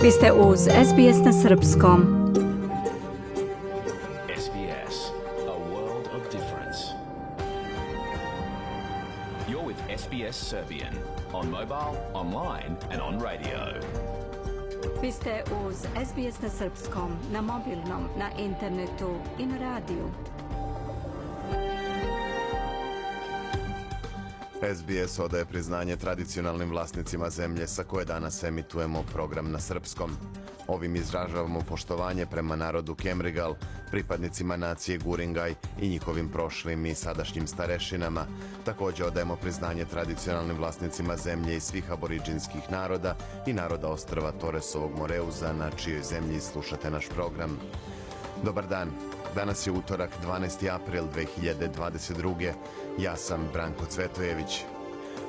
Vi ste uz SBS na srpskom. SBS, a world of difference. You're with SBS Serbian on mobile, online and on radio. Vi ste uz SBS na srpskom, na mobilnom, na internetu i na radiju. SBS odaje priznanje tradicionalnim vlasnicima zemlje sa koje danas emitujemo program na srpskom. Ovim izražavamo poštovanje prema narodu Kemrigal, pripadnicima nacije Guringaj i njihovim prošlim i sadašnjim starešinama. Također odajemo priznanje tradicionalnim vlasnicima zemlje i svih aboriđinskih naroda i naroda ostrva Toresovog Moreuza, na čijoj zemlji slušate naš program. Dobar dan. Danas je utorak, 12. april 2022. Ja sam Branko Cvetojević.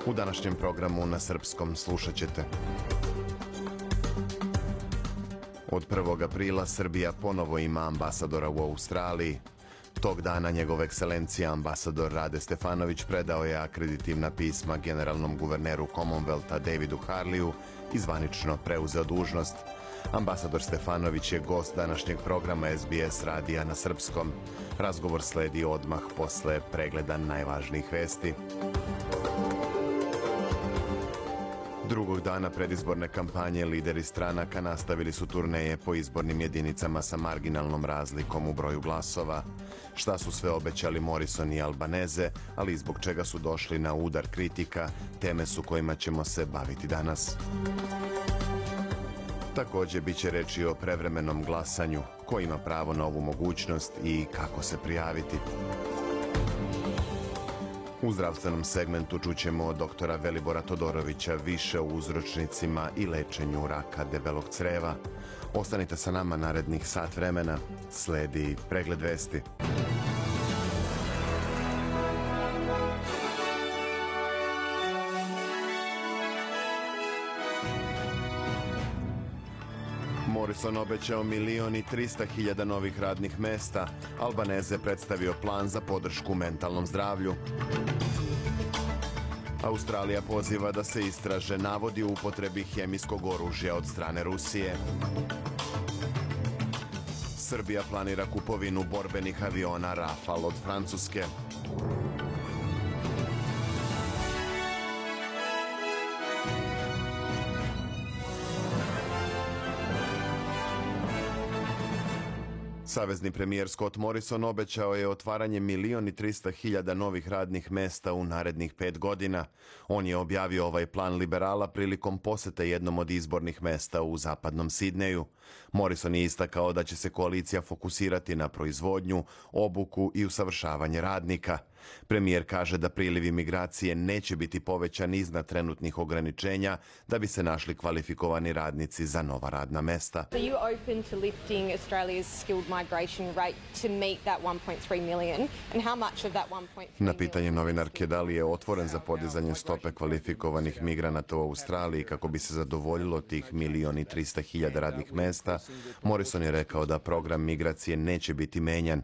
U današnjem programu na srpskom slušat ćete: od 1. aprila Srbija ponovo ima ambasadora u Australiji. Tog dana njegova ekscelencija ambasador Rade Stefanović predao je akreditivna pisma generalnom guverneru Commonwealtha Davidu Harleyu i zvanično preuzeo dužnost. Ambasador Stefanović je gost današnjeg programa SBS radija na srpskom. Razgovor sledi odmah posle pregleda najvažnijih vesti. Drugog dana predizborne kampanje lideri stranaka nastavili su turneje po izbornim jedinicama sa marginalnom razlikom u broju glasova. Šta su sve obećali Morrison i Albanese, ali i zbog čega su došli na udar kritika, teme su kojima ćemo se baviti danas. Također bit će reći o prevremenom glasanju, ko ima pravo na ovu mogućnost i kako se prijaviti. U zdravstvenom segmentu čućemo od doktora Velibora Todorovića više o uzročnicima i lečenju raka debelog creva. Ostanite sa nama narednih sat vremena, sledi pregled vesti. Morrison obećao 1.300.000 novih radnih mesta. Albanese predstavio plan za podršku mentalnom zdravlju. Australija poziva da se istraže navodi u upotrebi hemijskog oružja od strane Rusije. Srbija planira kupovinu borbenih aviona Rafale od Francuske. Savezni premijer Scott Morrison obećao je otvaranje 1.300.000 novih radnih mesta u narednih 5 godina. On je objavio ovaj plan liberala prilikom posete jednom od izbornih mesta u zapadnom Sidneju. Morrison je istakao da će se koalicija fokusirati na proizvodnju, obuku i usavršavanje radnika. Premijer kaže da prilivi migracije neće biti povećan iznad trenutnih ograničenja da bi se našli kvalifikovani radnici za nova radna mesta. Are you open to lifting Australia's skilled migration rate to meet that 1.3 million and how much of that 1.3 Na pitanje novinarke da li je otvoren za podizanje stope kvalifikovanih migranata u Australiji kako bi se zadovoljilo tih 1.300.000 radnih mesta, Morrison je rekao da program migracije neće biti menjan.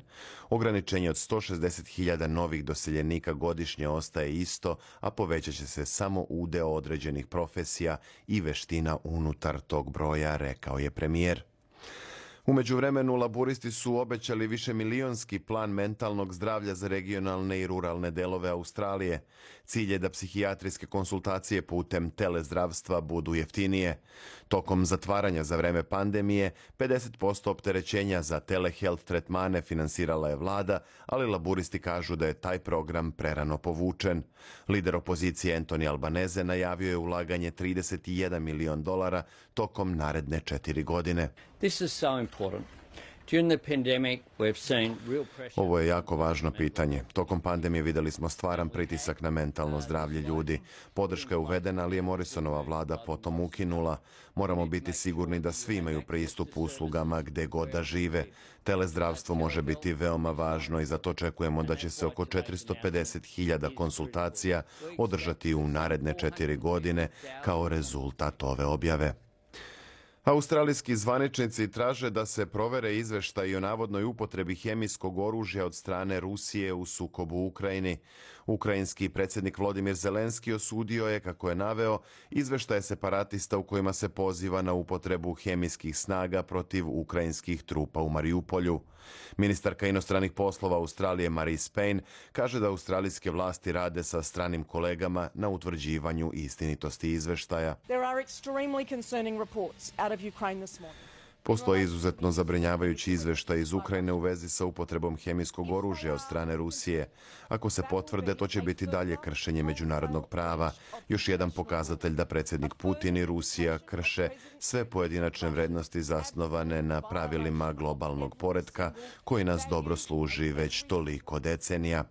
Ograničenje od 160.000 novih doseljenika godišnje ostaje isto, a povećat će se samo udeo određenih profesija i veština unutar tog broja, rekao je premijer. U međuvremenu laburisti su obećali višemilionski plan mentalnog zdravlja za regionalne i ruralne delove Australije. Cilj je da psihijatrijske konsultacije putem telezdravstva budu jeftinije. Tokom zatvaranja za vreme pandemije, 50% opterećenja za telehealth tretmane finansirala je vlada, ali laburisti kažu da je taj program prerano povučen. Lider opozicije Anthony Albanese najavio je ulaganje $31 milion tokom naredne 4 godine. This is so important. During the pandemic, we've seen real pressure. Ovo je jako važno pitanje. Tokom pandemije vidjeli smo stvaran pritisak na mentalno zdravlje ljudi. Podrška je uvedena, ali je Morrisonova vlada potom ukinula. Moramo biti sigurni da svi imaju pristup uslugama gde god da žive. Telezdravstvo može biti veoma važno i zato očekujemo da će se oko 450.000 konsultacija održati u naredne 4 godine kao rezultat ove objave. Australijski zvaničnici traže da se provere izveštaji o navodnoj upotrebi hemijskog oružja od strane Rusije u sukobu u Ukrajini. Ukrajinski predsjednik Volodymyr Zelenski osudio je, kako je naveo, izveštaje separatista u kojima se poziva na upotrebu hemijskih snaga protiv ukrajinskih trupa u Mariupolju. Ministarka inostranih poslova Australije Marise Payne kaže da australijske vlasti rade sa stranim kolegama na utvrđivanju istinitosti izveštaja. Postoje izuzetno zabrinjavajući izveštaj iz Ukrajine u vezi sa upotrebom hemijskog oružja od strane Rusije. Ako se potvrde, to će biti dalje kršenje međunarodnog prava. Još jedan pokazatelj da predsjednik Putin i Rusija krše sve pojedinačne vrednosti zasnovane na pravilima globalnog poretka koji nas dobro služi već toliko decenija.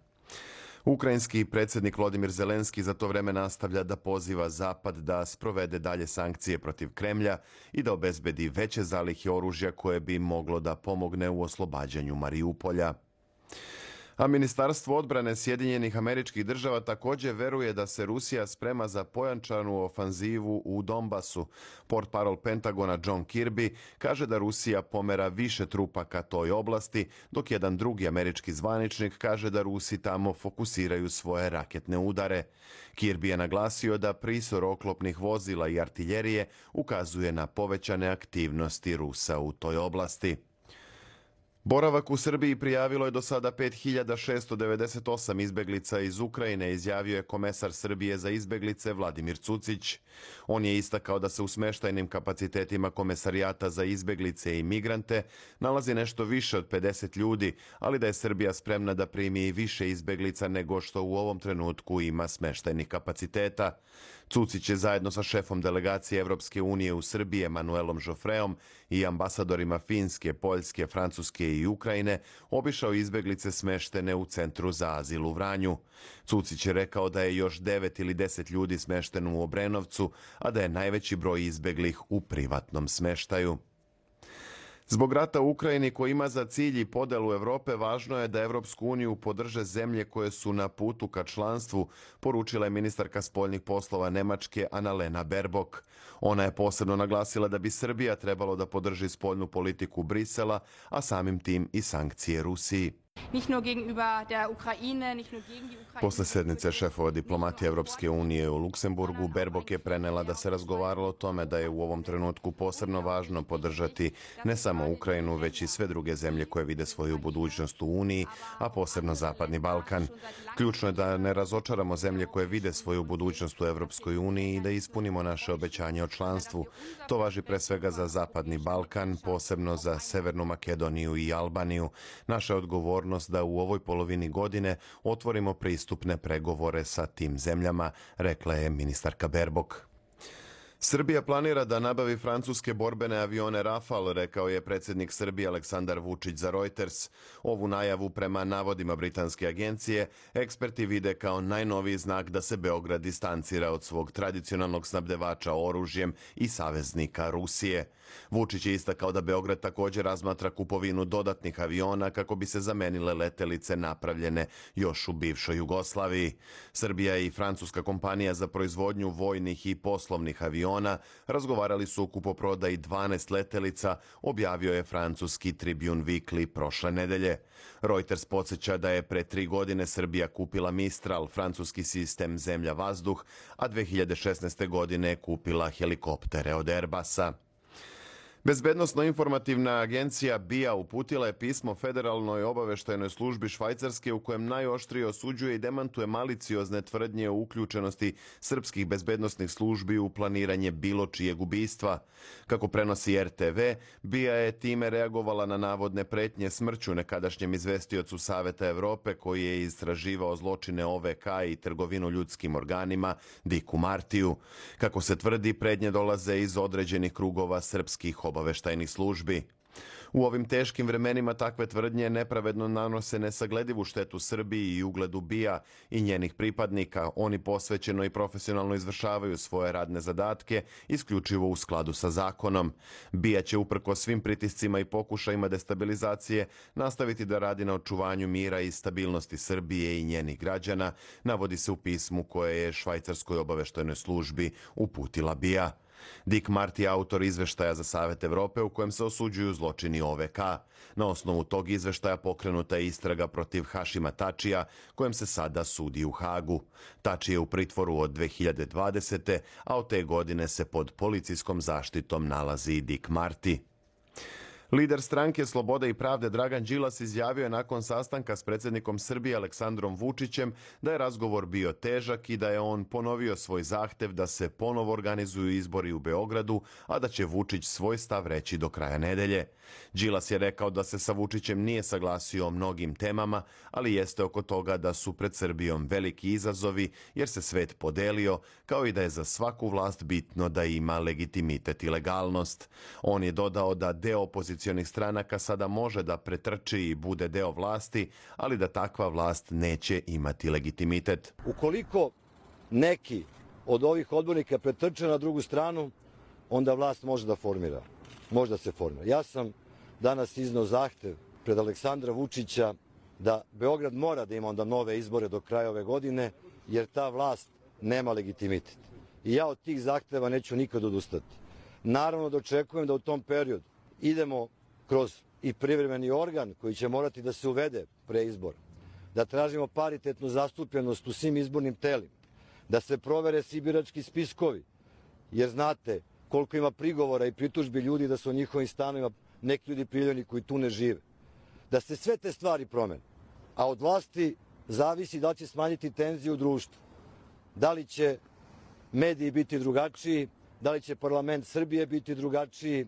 Ukrajinski predsjednik Volodymyr Zelenski za to vrijeme nastavlja da poziva Zapad da sprovede dalje sankcije protiv Kremlja i da obezbedi veće zalihe oružja koje bi moglo da pomogne u oslobađanju Mariupolja. A Ministarstvo odbrane Sjedinjenih Američkih Država također veruje da se Rusija sprema za pojačanu ofanzivu u Donbasu. Portparol Pentagona John Kirby kaže da Rusija pomera više trupa ka toj oblasti, dok jedan drugi američki zvaničnik kaže da Rusi tamo fokusiraju svoje raketne udare. Kirby je naglasio da prisor oklopnih vozila i artiljerije ukazuje na povećane aktivnosti Rusa u toj oblasti. Boravak u Srbiji prijavilo je do sada 5698 izbeglica iz Ukrajine, izjavio je komesar Srbije za izbeglice Vladimir Cucić. On je istakao da se u smeštajnim kapacitetima Komesarijata za izbeglice i migrante nalazi nešto više od 50 ljudi, ali da je Srbija spremna da primi i više izbeglica nego što u ovom trenutku ima smeštajnih kapaciteta. Cucić je zajedno sa šefom delegacije Evropske unije u Srbiji Emanuelom Žofreom i ambasadorima Finske, Poljske, Francuske i Ukrajine obišao izbeglice smeštene u Centru za azil u Vranju. Cucić je rekao da je još 9 ili 10 ljudi smešteno u Obrenovcu, a da je najveći broj izbeglih u privatnom smeštaju. Zbog rata u Ukrajini koji ima za cilj i podelu Evrope, važno je da Evropsku uniju podrže zemlje koje su na putu ka članstvu, poručila je ministarka spoljnih poslova Nemačke Annalena Baerbock. Ona je posebno naglasila da bi Srbija trebalo da podrži spoljnu politiku Brisela, a samim tim i sankcije Rusiji. Posle sednice šefova diplomatije Evropske unije u Luksemburgu, Baerbock je prenela da se razgovaralo o tome da je u ovom trenutku posebno važno podržati ne samo Ukrajinu, već i sve druge zemlje koje vide svoju budućnost u Uniji, a posebno Zapadni Balkan. Ključno je da ne razočaramo zemlje koje vide svoju budućnost u Evropskoj uniji i da ispunimo naše obećanje o članstvu. To važi pre svega za Zapadni Balkan, posebno za Severnu Makedoniju i Albaniju. Naša odgovornost da u ovoj polovini godine otvorimo pristupne pregovore sa tim zemljama, rekla je ministarka Baerbock. Srbija planira da nabavi francuske borbene avione Rafale, rekao je predsjednik Srbije Aleksandar Vučić za Reuters. Ovu najavu prema navodima britanske agencije eksperti vide kao najnoviji znak da se Beograd distancira od svog tradicionalnog snabdevača oružjem i saveznika Rusije. Vučić je istakao da Beograd također razmatra kupovinu dodatnih aviona kako bi se zamenile letelice napravljene još u bivšoj Jugoslaviji. Srbija i francuska kompanija za proizvodnju vojnih i poslovnih aviona razgovarali su o kupoprodaji 12 letelica, objavio je francuski Tribune Weekly prošle nedelje. Reuters podsjeća da je pre 3 godine Srbija kupila Mistral, francuski sistem zemlja-vazduh, a 2016. godine je kupila helikoptere od Airbusa. Bezbednosno-informativna agencija BIA uputila je pismo Federalnoj obaveštajnoj službi Švajcarske u kojem najoštrije osuđuje i demantuje maliciozne tvrdnje o uključenosti srpskih bezbednosnih službi u planiranje bilo čijeg ubistva. Kako prenosi RTV, BIA je time reagovala na navodne pretnje smrću nekadašnjem izvestiocu Saveta Evrope koji je istraživao zločine OVK i trgovinu ljudskim organima Diku Martiju. Kako se tvrdi, pretnje dolaze iz određenih krugova srpskih obaveštajnih službi. U ovim teškim vremenima takve tvrdnje nepravedno nanose nesagledivu štetu Srbiji i ugledu BIA i njenih pripadnika. Oni posvećeno i profesionalno izvršavaju svoje radne zadatke, isključivo u skladu sa zakonom. BIA će uprkos svim pritiscima i pokušajima destabilizacije nastaviti da radi na očuvanju mira i stabilnosti Srbije i njenih građana, navodi se u pismu koje je Švajcarskoj obaveštajnoj službi uputila BIA. Dick Marty je autor izveštaja za Savet Evrope u kojem se osuđuju zločini OVK. Na osnovu tog izveštaja pokrenuta je istraga protiv Hašima Tačija, kojem se sada sudi u Hagu. Tači je u pritvoru od 2020. a od te godine se pod policijskom zaštitom nalazi i Dick Marty. Lider stranke Slobode i pravde Dragan Đilas izjavio je nakon sastanka s predsjednikom Srbije Aleksandrom Vučićem da je razgovor bio težak i da je on ponovio svoj zahtev da se ponovo organizuju izbori u Beogradu, a da će Vučić svoj stav reći do kraja nedelje. Đilas je rekao da se sa Vučićem nije saglasio o mnogim temama, ali jeste oko toga da su pred Srbijom veliki izazovi jer se svet podelio, kao i da je za svaku vlast bitno da ima legitimitet i legalnost. On je dodao da deo opozicionih stranaka sada može da pretrči i bude deo vlasti, ali da takva vlast neće imati legitimitet. Ukoliko neki od ovih odbornika pretrče na drugu stranu, onda vlast može da formira. Može da se formira. Ja sam danas izneo zahtev pred Aleksandra Vučića da Beograd mora da ima onda nove izbore do kraja ove godine, jer ta vlast nema legitimitet. I ja od tih zahteva neću nikad odustati. Naravno da očekujem da u tom periodu idemo kroz i privremeni organ koji će morati da se uvede pre izbora, da tražimo paritetnu zastupljenost u svim izbornim telima, da se provere svi birački spiskovi, jer znate koliko ima prigovora i pritužbi ljudi da su u njihovim stanovima neki ljudi prijavljeni koji tu ne žive. Da se sve te stvari promene, a od vlasti zavisi da li će smanjiti tenziju u društvu, da li će mediji biti drugačiji, da li će parlament Srbije biti drugačiji.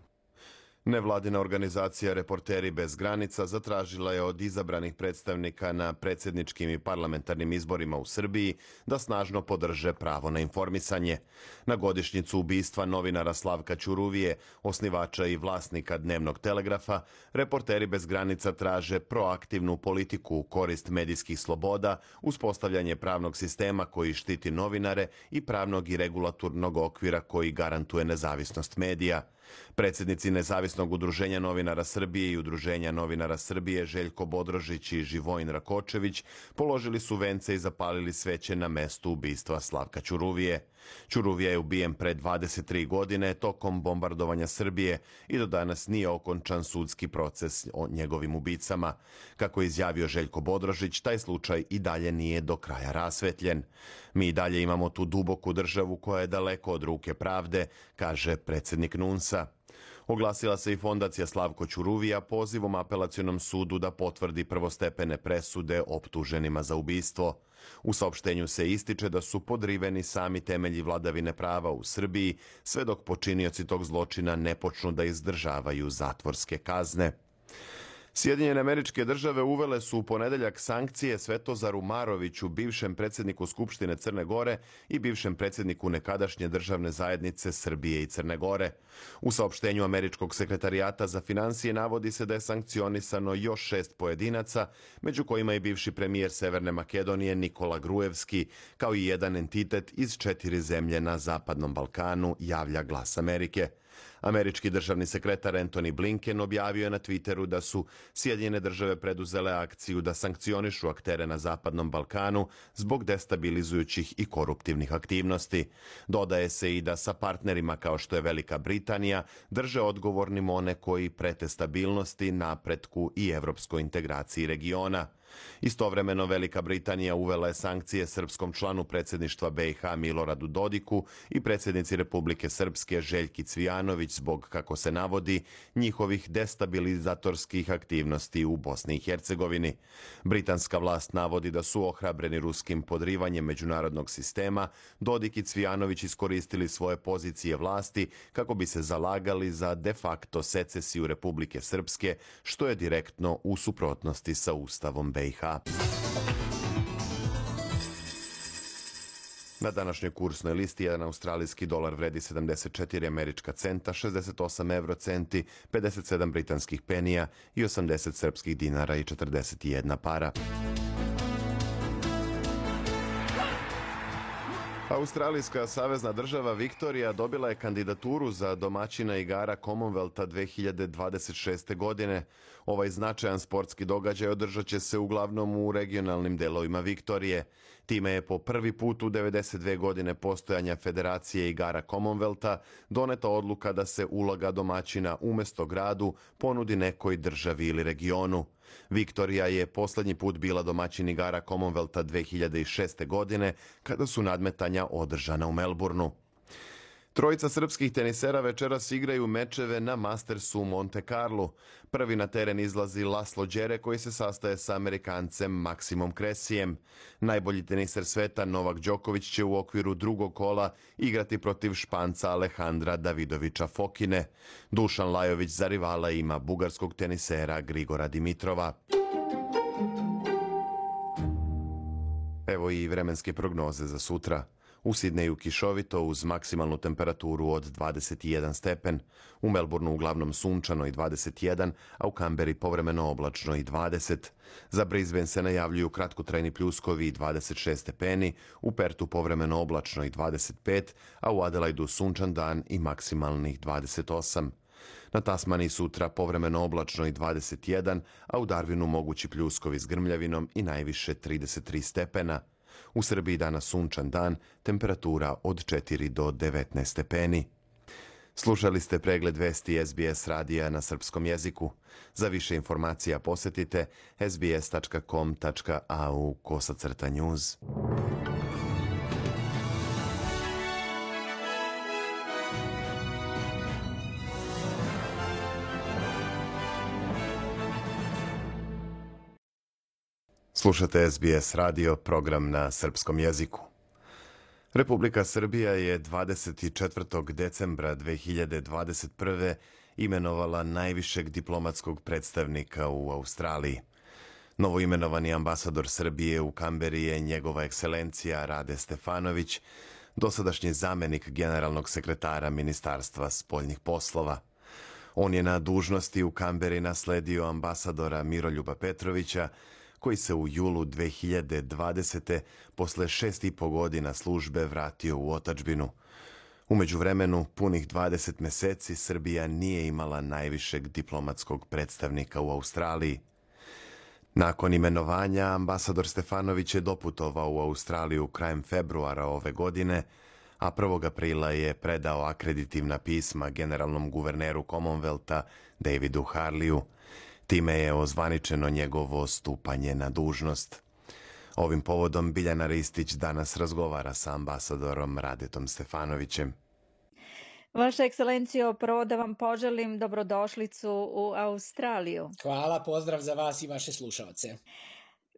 Nevladina organizacija Reporteri bez granica zatražila je od izabranih predstavnika na predsjedničkim i parlamentarnim izborima u Srbiji da snažno podrže pravo na informisanje. Na godišnjicu ubistva novinara Slavka Ćuruvije, osnivača i vlasnika Dnevnog telegrafa, Reporteri bez granica traže proaktivnu politiku u korist medijskih sloboda, uspostavljanje pravnog sistema koji štiti novinare i pravnog i regulatornog okvira koji garantuje nezavisnost medija. Predsjednici Nezavisnog udruženja novinara Srbije i Udruženja novinara Srbije Željko Bodrožić i Živojin Rakočević položili su vence i zapalili sveće na mestu ubistva Slavka Ćuruvije. Ćuruvija je ubijen pre 23 godine tokom bombardovanja Srbije i do danas nije okončan sudski proces o njegovim ubicama. Kako je izjavio Željko Bodrožić, taj slučaj i dalje nije do kraja rasvetljen. Mi i dalje imamo tu duboku državu koja je daleko od ruke pravde, kaže predsjednik NUNS-a. Oglasila se i fondacija Slavko Ćuruvija pozivom apelacionom sudu da potvrdi prvostepene presude optuženima za ubistvo. U saopštenju se ističe da su podriveni sami temelji vladavine prava u Srbiji, sve dok počinioci tog zločina ne počnu da izdržavaju zatvorske kazne. Sjedinjene Američke Države uvele su u ponedeljak sankcije Svetozaru Maroviću, bivšem predsjedniku Skupštine Crne Gore i bivšem predsjedniku nekadašnje državne zajednice Srbije i Crne Gore. U saopštenju Američkog sekretarijata za finansije navodi se da je sankcionisano još 6 pojedinaca, među kojima i bivši premijer Severne Makedonije Nikola Gruevski, kao i jedan entitet iz 4 zemlje na Zapadnom Balkanu, javlja Glas Amerike. Američki državni sekretar Antony Blinken objavio je na Twitteru da su Sjedinjene Države preduzele akciju da sankcionišu aktere na Zapadnom Balkanu zbog destabilizujućih i koruptivnih aktivnosti. Dodaje se i da sa partnerima kao što je Velika Britanija drže odgovornim one koji prete stabilnosti, napretku i evropskoj integraciji regiona. Istovremeno Velika Britanija uvela je sankcije srpskom članu predsjedništva BiH Miloradu Dodiku i predsjednici Republike Srpske Željki Cvijanović zbog, kako se navodi, njihovih destabilizatorskih aktivnosti u Bosni i Hercegovini. Britanska vlast navodi da su ohrabreni ruskim podrivanjem međunarodnog sistema, Dodik i Cvijanović iskoristili svoje pozicije vlasti kako bi se zalagali za de facto secesiju Republike Srpske, što je direktno u suprotnosti sa Ustavom BiH. Na današnjoj kursnoj listi jedan australijski dolar vredi 74 američka centa, 68 eurocenti, 57 britanskih penija i 80 srpskih dinara i 41 para. Australijska savezna država Viktorija dobila je kandidaturu za domaćina igara Commonwealtha 2026. godine. Ovaj značajan sportski događaj održat će se uglavnom u regionalnim delovima Viktorije. Time je po prvi put u 92 godine postojanja Federacije igara Commonwealtha doneta odluka da se uloga domaćina umjesto gradu ponudi nekoj državi ili regionu. Viktorija je posljednji put bila domaćin igara Commonwealtha 2006. godine kada su nadmetanja održana u Melbourneu. Trojica srpskih tenisera večeras igraju mečeve na Mastersu u Monte Carlu. Prvi na teren izlazi Laslo Đere koji se sastaje sa Amerikancem Maksimom Kresijem. Najbolji teniser sveta Novak Đoković će u okviru drugog kola igrati protiv Španca Alejandra Davidovića Fokine. Dušan Lajović za rivala ima bugarskog tenisera Grigora Dimitrova. Evo i vremenske prognoze za sutra. U Sidneju kišovito uz maksimalnu temperaturu od 21 stepen, u Melbourneu uglavnom sunčano i 21, a u Kamberi povremeno oblačno i 20. Za Brisbane se najavljuju kratkotrajni pljuskovi i 26 stepeni, u Pertu povremeno oblačno i 25, a u Adelaidu sunčan dan i maksimalnih 28. Na Tasmaniji sutra povremeno oblačno i 21, a u Darwinu mogući pljuskovi s grmljavinom i najviše 33 stepena. U Srbiji danas sunčan dan, temperatura od 4 do 19 stepeni. Slušali ste pregled vesti SBS radija na srpskom jeziku. Za više informacija posjetite sbs.com.au/news. Slušate SBS radio, program na srpskom jeziku. Republika Srbija je 24. decembra 2021. imenovala najvišeg diplomatskog predstavnika u Australiji. Novoimenovani ambasador Srbije u Kamberi je njegova ekscelencija Rade Stefanović, dosadašnji zamenik generalnog sekretara Ministarstva spoljnih poslova. On je na dužnosti u Kamberi nasledio ambasadora Miroljuba Petrovića, koji se u julu 2020. posle 6,5 godina službe vratio u otadžbinu. U međuvremenu, punih 20 meseci Srbija nije imala najvišeg diplomatskog predstavnika u Australiji. Nakon imenovanja, ambasador Stefanović je doputovao u Australiju krajem februara ove godine, a 1. aprila je predao akreditivna pisma generalnom guverneru Commonwealtha Davidu Harleyu. Time je ozvaničeno njegovo stupanje na dužnost. Ovim povodom Biljana Ristić danas razgovara sa ambasadorom Radetom Stefanovićem. Vaša ekscelencijo, prvo da vam poželim dobrodošlicu u Australiju. Hvala, pozdrav za vas i vaše slušalce.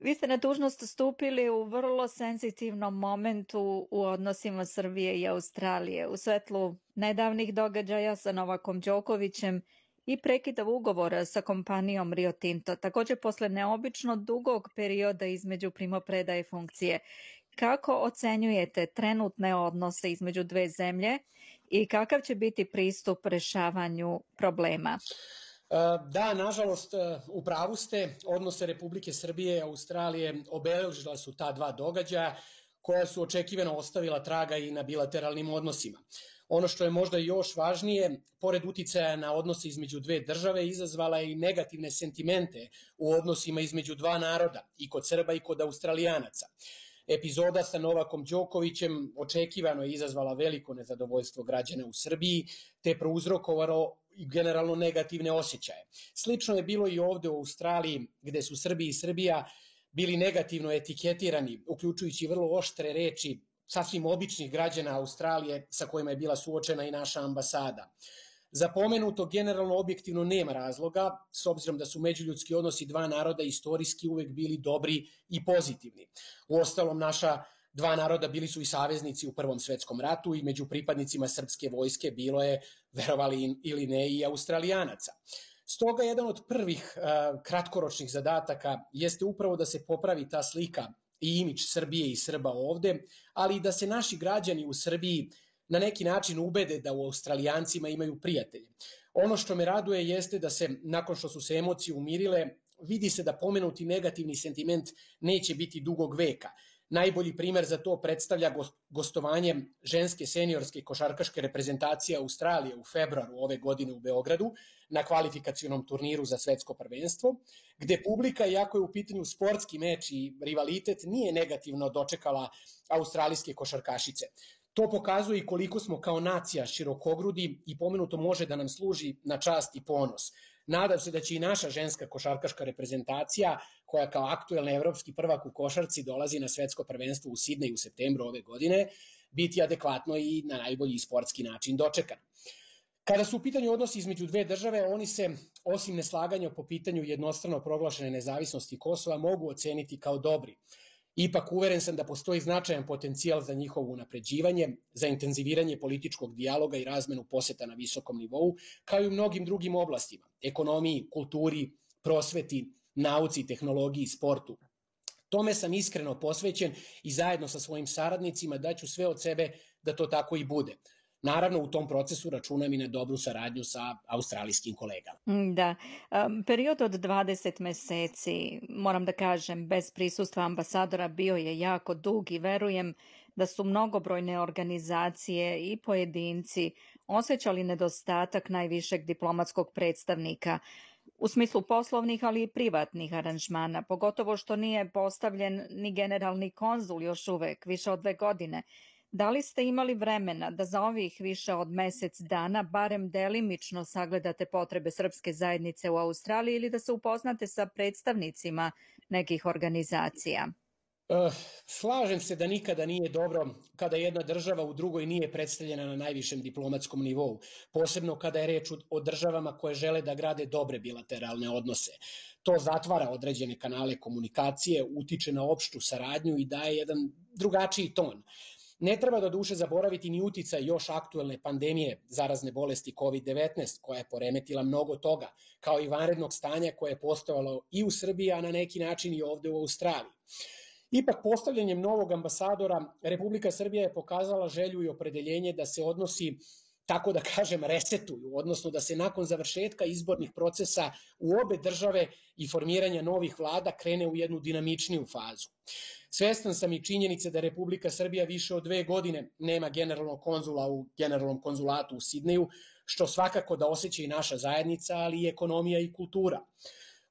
Vi ste na dužnost stupili u vrlo senzitivnom momentu u odnosima Srbije i Australije, u svetlu nedavnih događaja sa Novakom Đokovićem i prekida ugovora sa kompanijom Rio Tinto, također posle neobično dugog perioda između primopredaje funkcije. Kako ocenjujete trenutne odnose između dve zemlje i kakav će biti pristup rešavanju problema? Da, nažalost, u pravu ste. Odnose Republike Srbije i Australije obeležila su ta dva događaja koja su očekivano ostavila traga i na bilateralnim odnosima. Ono što je možda još važnije, pored uticaja na odnose između dve države, izazvala je i negativne sentimente u odnosima između dva naroda, i kod Srba i kod Australijanaca. Epizoda sa Novakom Đokovićem očekivano je izazvala veliko nezadovoljstvo građana u Srbiji, te prouzrokovalo generalno negativne osjećaje. Slično je bilo i ovde u Australiji, gde su Srbi i Srbija bili negativno etiketirani, uključujući vrlo oštre reči sasvim običnih građana Australije sa kojima je bila suočena i naša ambasada. Za pomenuto generalno objektivno nema razloga, s obzirom da su međuljudski odnosi dva naroda istorijski uvek bili dobri i pozitivni. Uostalom, naša dva naroda bili su i saveznici u Prvom svetskom ratu i među pripadnicima srpske vojske bilo je, verovali ili ne, i Australijanaca. Stoga jedan od prvih kratkoročnih zadataka jeste upravo da se popravi ta slika i imidž Srbije i Srba ovde, ali i da se naši građani u Srbiji na neki način ubede da u Australijancima imaju prijatelje. Ono što me raduje jeste da se, nakon što su se emocije umirile, vidi se da pomenuti negativni sentiment neće biti dugog veka. Najbolji primer za to predstavlja gostovanje ženske seniorske košarkaške reprezentacije Australije u februaru ove godine u Beogradu na kvalifikacionom turniru za svetsko prvenstvo, gde publika, iako je u pitanju sportski meč i rivalitet, nije negativno dočekala australijske košarkašice. To pokazuje i koliko smo kao nacija širokogrudi i pomenuto može da nam služi na čast i ponos. Nadam se da će i naša ženska košarkaška reprezentacija, koja kao aktuelni evropski prvak u košarci dolazi na svetsko prvenstvo u Sidneju u septembru ove godine, biti adekvatno i na najbolji sportski način dočekan. Kada su u pitanju odnosi između dve države, oni se, osim neslaganja po pitanju jednostrano proglašene nezavisnosti Kosova, mogu oceniti kao dobri. Ipak uveren sam da postoji značajan potencijal za njihovo unapređivanje, za intenziviranje političkog dijaloga i razmenu poseta na visokom nivou, kao i u mnogim drugim oblastima, ekonomiji, kulturi, prosveti, nauci, tehnologiji, sportu. Tome sam iskreno posvećen i zajedno sa svojim saradnicima daću sve od sebe da to tako i bude. Naravno, u tom procesu računam i na dobru saradnju sa australijskim kolegama. Da, period od 20 meseci, moram da kažem, bez prisustva ambasadora bio je jako dug i verujem da su mnogobrojne organizacije i pojedinci osjećali nedostatak najvišeg diplomatskog predstavnika u smislu poslovnih, ali i privatnih aranžmana, pogotovo što nije postavljen ni generalni konzul još uvek, više od 2 godine. Da li ste imali vremena da za ovih više od mesec dana barem delimično sagledate potrebe srpske zajednice u Australiji ili da se upoznate sa predstavnicima nekih organizacija? Slažem se da nikada nije dobro kada jedna država u drugoj nije predstavljena na najvišem diplomatskom nivou, posebno kada je reč o državama koje žele da grade dobre bilateralne odnose. To zatvara određene kanale komunikacije, utiče na opštu saradnju i daje jedan drugačiji ton. Ne treba do duše zaboraviti ni uticaj još aktuelne pandemije zarazne bolesti COVID-19 koja je poremetila mnogo toga, kao i vanrednog stanja koje je postojalo i u Srbiji, a na neki način i ovde u Australiji. Ipak postavljanjem novog ambasadora Republika Srbija je pokazala želju i opredeljenje da se odnosi, tako da kažem, resetuju, odnosno da se nakon završetka izbornih procesa u obe države i formiranja novih vlada krene u jednu dinamičniju fazu. Svestan sam i činjenice da Republika Srbija više od 2 godine nema generalnog konzula u generalnom konzulatu u Sidneju, što svakako da osjeća i naša zajednica, ali i ekonomija i kultura.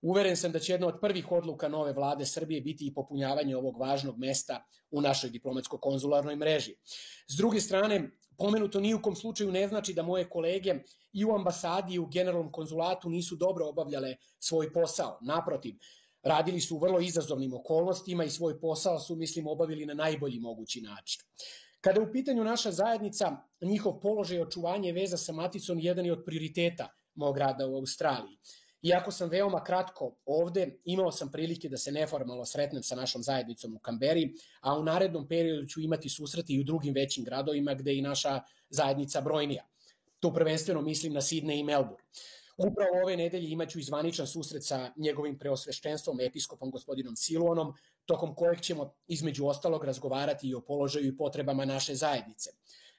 Uveren sam da će jedna od prvih odluka nove vlade Srbije biti i popunjavanje ovog važnog mesta u našoj diplomatsko-konzularnoj mreži. S druge strane, pomenuto ni u kom slučaju ne znači da moje kolege i u ambasadi i u generalnom konzulatu nisu dobro obavljale svoj posao. Naprotiv, radili su u vrlo izazovnim okolnostima i svoj posao su, mislim, obavili na najbolji mogući način. Kada je u pitanju naša zajednica, njihov položaj i očuvanje veza sa maticom jedan je od prioriteta mog rada u Australiji. Iako sam veoma kratko ovde, imao sam prilike da se neformalno sretnem sa našom zajednicom u Kamberi, a u narednom periodu ću imati susrete i u drugim većim gradovima gde je i naša zajednica brojnija. Tu prvenstveno mislim na Sidney i Melbourne. Upravo ove nedelje imaću i zvaničan susret sa njegovim preosveštenstvom, episkopom gospodinom Siluanom, tokom kojeg ćemo između ostalog razgovarati i o položaju i potrebama naše zajednice.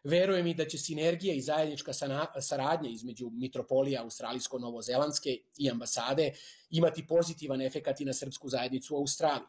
Verujem i da će sinergija i zajednička saradnja između mitropolija australijsko-novozelandske i ambasade imati pozitivan efekat i na srpsku zajednicu u Australiji.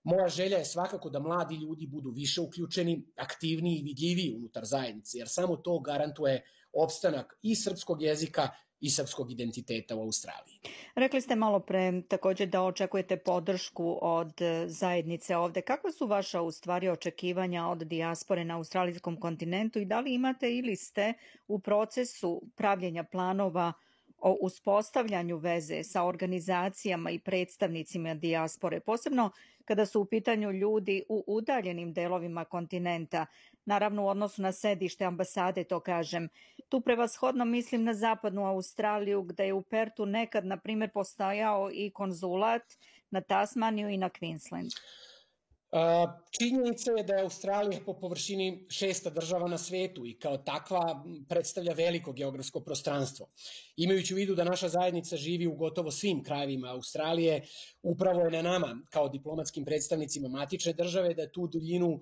Moja želja je svakako da mladi ljudi budu više uključeni, aktivniji i vidljiviji unutar zajednice, jer samo to garantuje opstanak i srpskog jezika i srpskog identiteta u Australiji. Rekli ste malo pre također da očekujete podršku od zajednice ovde. Kakva su vaša u stvari očekivanja od dijaspore na australijskom kontinentu i da li imate ili ste u procesu pravljenja planova o uspostavljanju veze sa organizacijama i predstavnicima dijaspore, posebno kada su u pitanju ljudi u udaljenim delovima kontinenta, naravno u odnosu na sedište ambasade, to kažem. Tu prevashodno mislim na zapadnu Australiju, gde je u Pertu nekad, na primjer, postojao i konzulat, na Tasmaniju i na Queensland. Činjenica je da je Australija po površini 6. država na svetu i kao takva predstavlja veliko geografsko prostranstvo. Imajući u vidu da naša zajednica živi u gotovo svim krajevima Australije, upravo je na nama, kao diplomatskim predstavnicima matične države, da tu duljinu,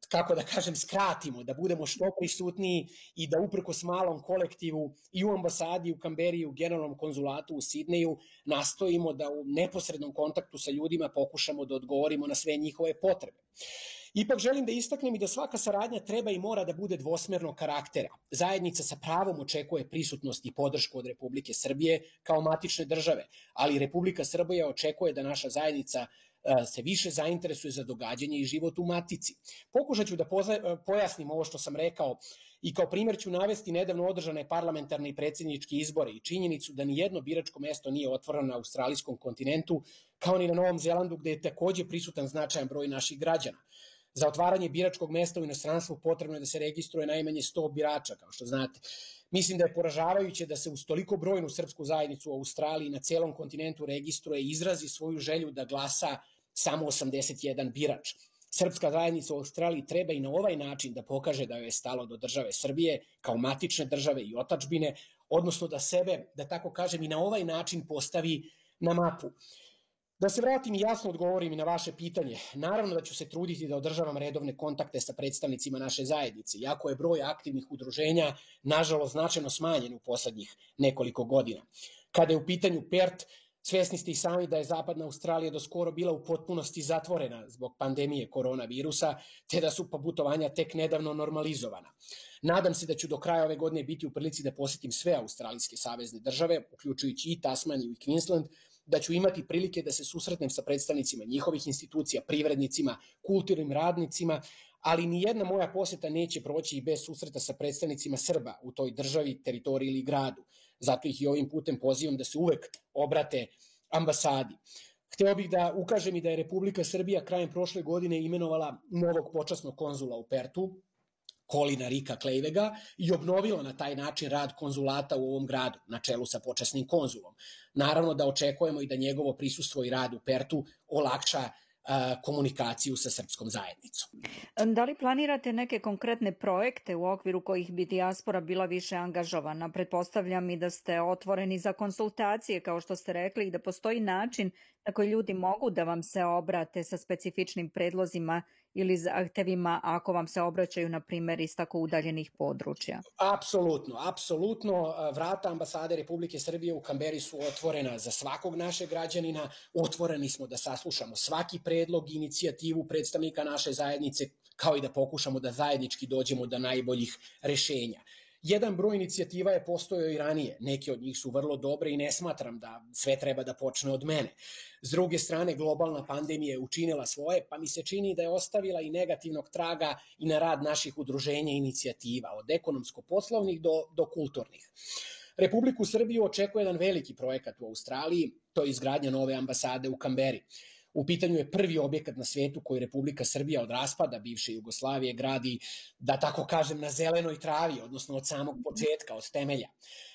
kako da kažem, skratimo, da budemo što prisutniji i da uprkos malom kolektivu i u ambasadi, u Kamberi, u generalnom konzulatu u Sidneju nastojimo da u neposrednom kontaktu sa ljudima pokušamo da odgovorimo na sve njihove potrebe. Ipak želim da istaknem i da svaka saradnja treba i mora da bude dvosmernog karaktera. Zajednica sa pravom očekuje prisutnost i podršku od Republike Srbije kao matične države, ali Republika Srbija očekuje da naša zajednica se više zainteresuje za događanje i život u matici. Pokušat ću da pojasnim ovo što sam rekao i kao primjer ću navesti nedavno održane parlamentarne i predsjedničke izbore i činjenicu da ni jedno biračko mesto nije otvoreno na australijskom kontinentu, kao ni na Novom Zelandu gde je takođe prisutan značajan broj naših građana. Za otvaranje biračkog mesta u inostranstvu potrebno je da se registruje najmanje 100 birača, kao što znate. Mislim da je poražavajuće da se uz toliko brojnu srpsku zajednicu u Australiji na celom kontinentu registruje i izrazi svoju želju da glasa samo 81 birač. Srpska zajednica u Australiji treba i na ovaj način da pokaže da joj je stalo do države Srbije kao matične države i otadžbine, odnosno da sebe, da tako kažem, i na ovaj način postavi na mapu. Da se vratim i jasno odgovorim i na vaše pitanje. Naravno da ću se truditi da održavam redovne kontakte sa predstavnicima naše zajednice, iako je broj aktivnih udruženja nažalost značajno smanjen u poslednjih nekoliko godina. Kada je u pitanju PERT, svesni ste i sami da je Zapadna Australija do skoro bila u potpunosti zatvorena zbog pandemije koronavirusa, te da su putovanja tek nedavno normalizovana. Nadam se da ću do kraja ove godine biti u prilici da posetim sve australijske savezne države, uključujući i Tasmaniju i Queensland, da ću imati prilike da se susretnem sa predstavnicima njihovih institucija, privrednicima, kulturnim radnicima, ali ni jedna moja poseta neće proći i bez susreta sa predstavnicima Srba u toj državi, teritoriji ili gradu. Zato ih i ovim putem pozivam da se uvek obrate ambasadi. Hteo bih da ukažem i da je Republika Srbija krajem prošle godine imenovala novog počasnog konzula u Pertu, Colina Rika Klejvega, i obnovila na taj način rad konzulata u ovom gradu, na čelu sa počasnim konzulom. Naravno da očekujemo i da njegovo prisustvo i rad u Pertu olakša komunikaciju sa srpskom zajednicom. Da li planirate neke konkretne projekte u okviru kojih bi dijaspora bila više angažovana? Pretpostavljam i da ste otvoreni za konsultacije, kao što ste rekli, i da postoji način na koji ljudi mogu da vam se obrate sa specifičnim predlozima ili zahtevima ako vam se obraćaju, na primjer, iz tako udaljenih područja. Apsolutno. Vrata ambasade Republike Srbije u Kamberi su otvorena za svakog našeg građanina. Otvoreni smo da saslušamo svaki predlog i inicijativu predstavnika naše zajednice, kao i da pokušamo da zajednički dođemo do najboljih rešenja. Jedan broj inicijativa je postojao i ranije, neke od njih su vrlo dobre i ne smatram da sve treba da počne od mene. S druge strane, globalna pandemija je učinila svoje, pa mi se čini da je ostavila i negativnog traga i na rad naših udruženja i inicijativa, od ekonomsko-poslovnih do kulturnih. Republiku Srbiju očekuje jedan veliki projekat u Australiji, to je izgradnja nove ambasade u Kamberi. U pitanju je prvi objekat na svetu koji Republika Srbija od raspada bivše Jugoslavije gradi, da tako kažem, na zelenoj travi, odnosno od samog početka, od temelja.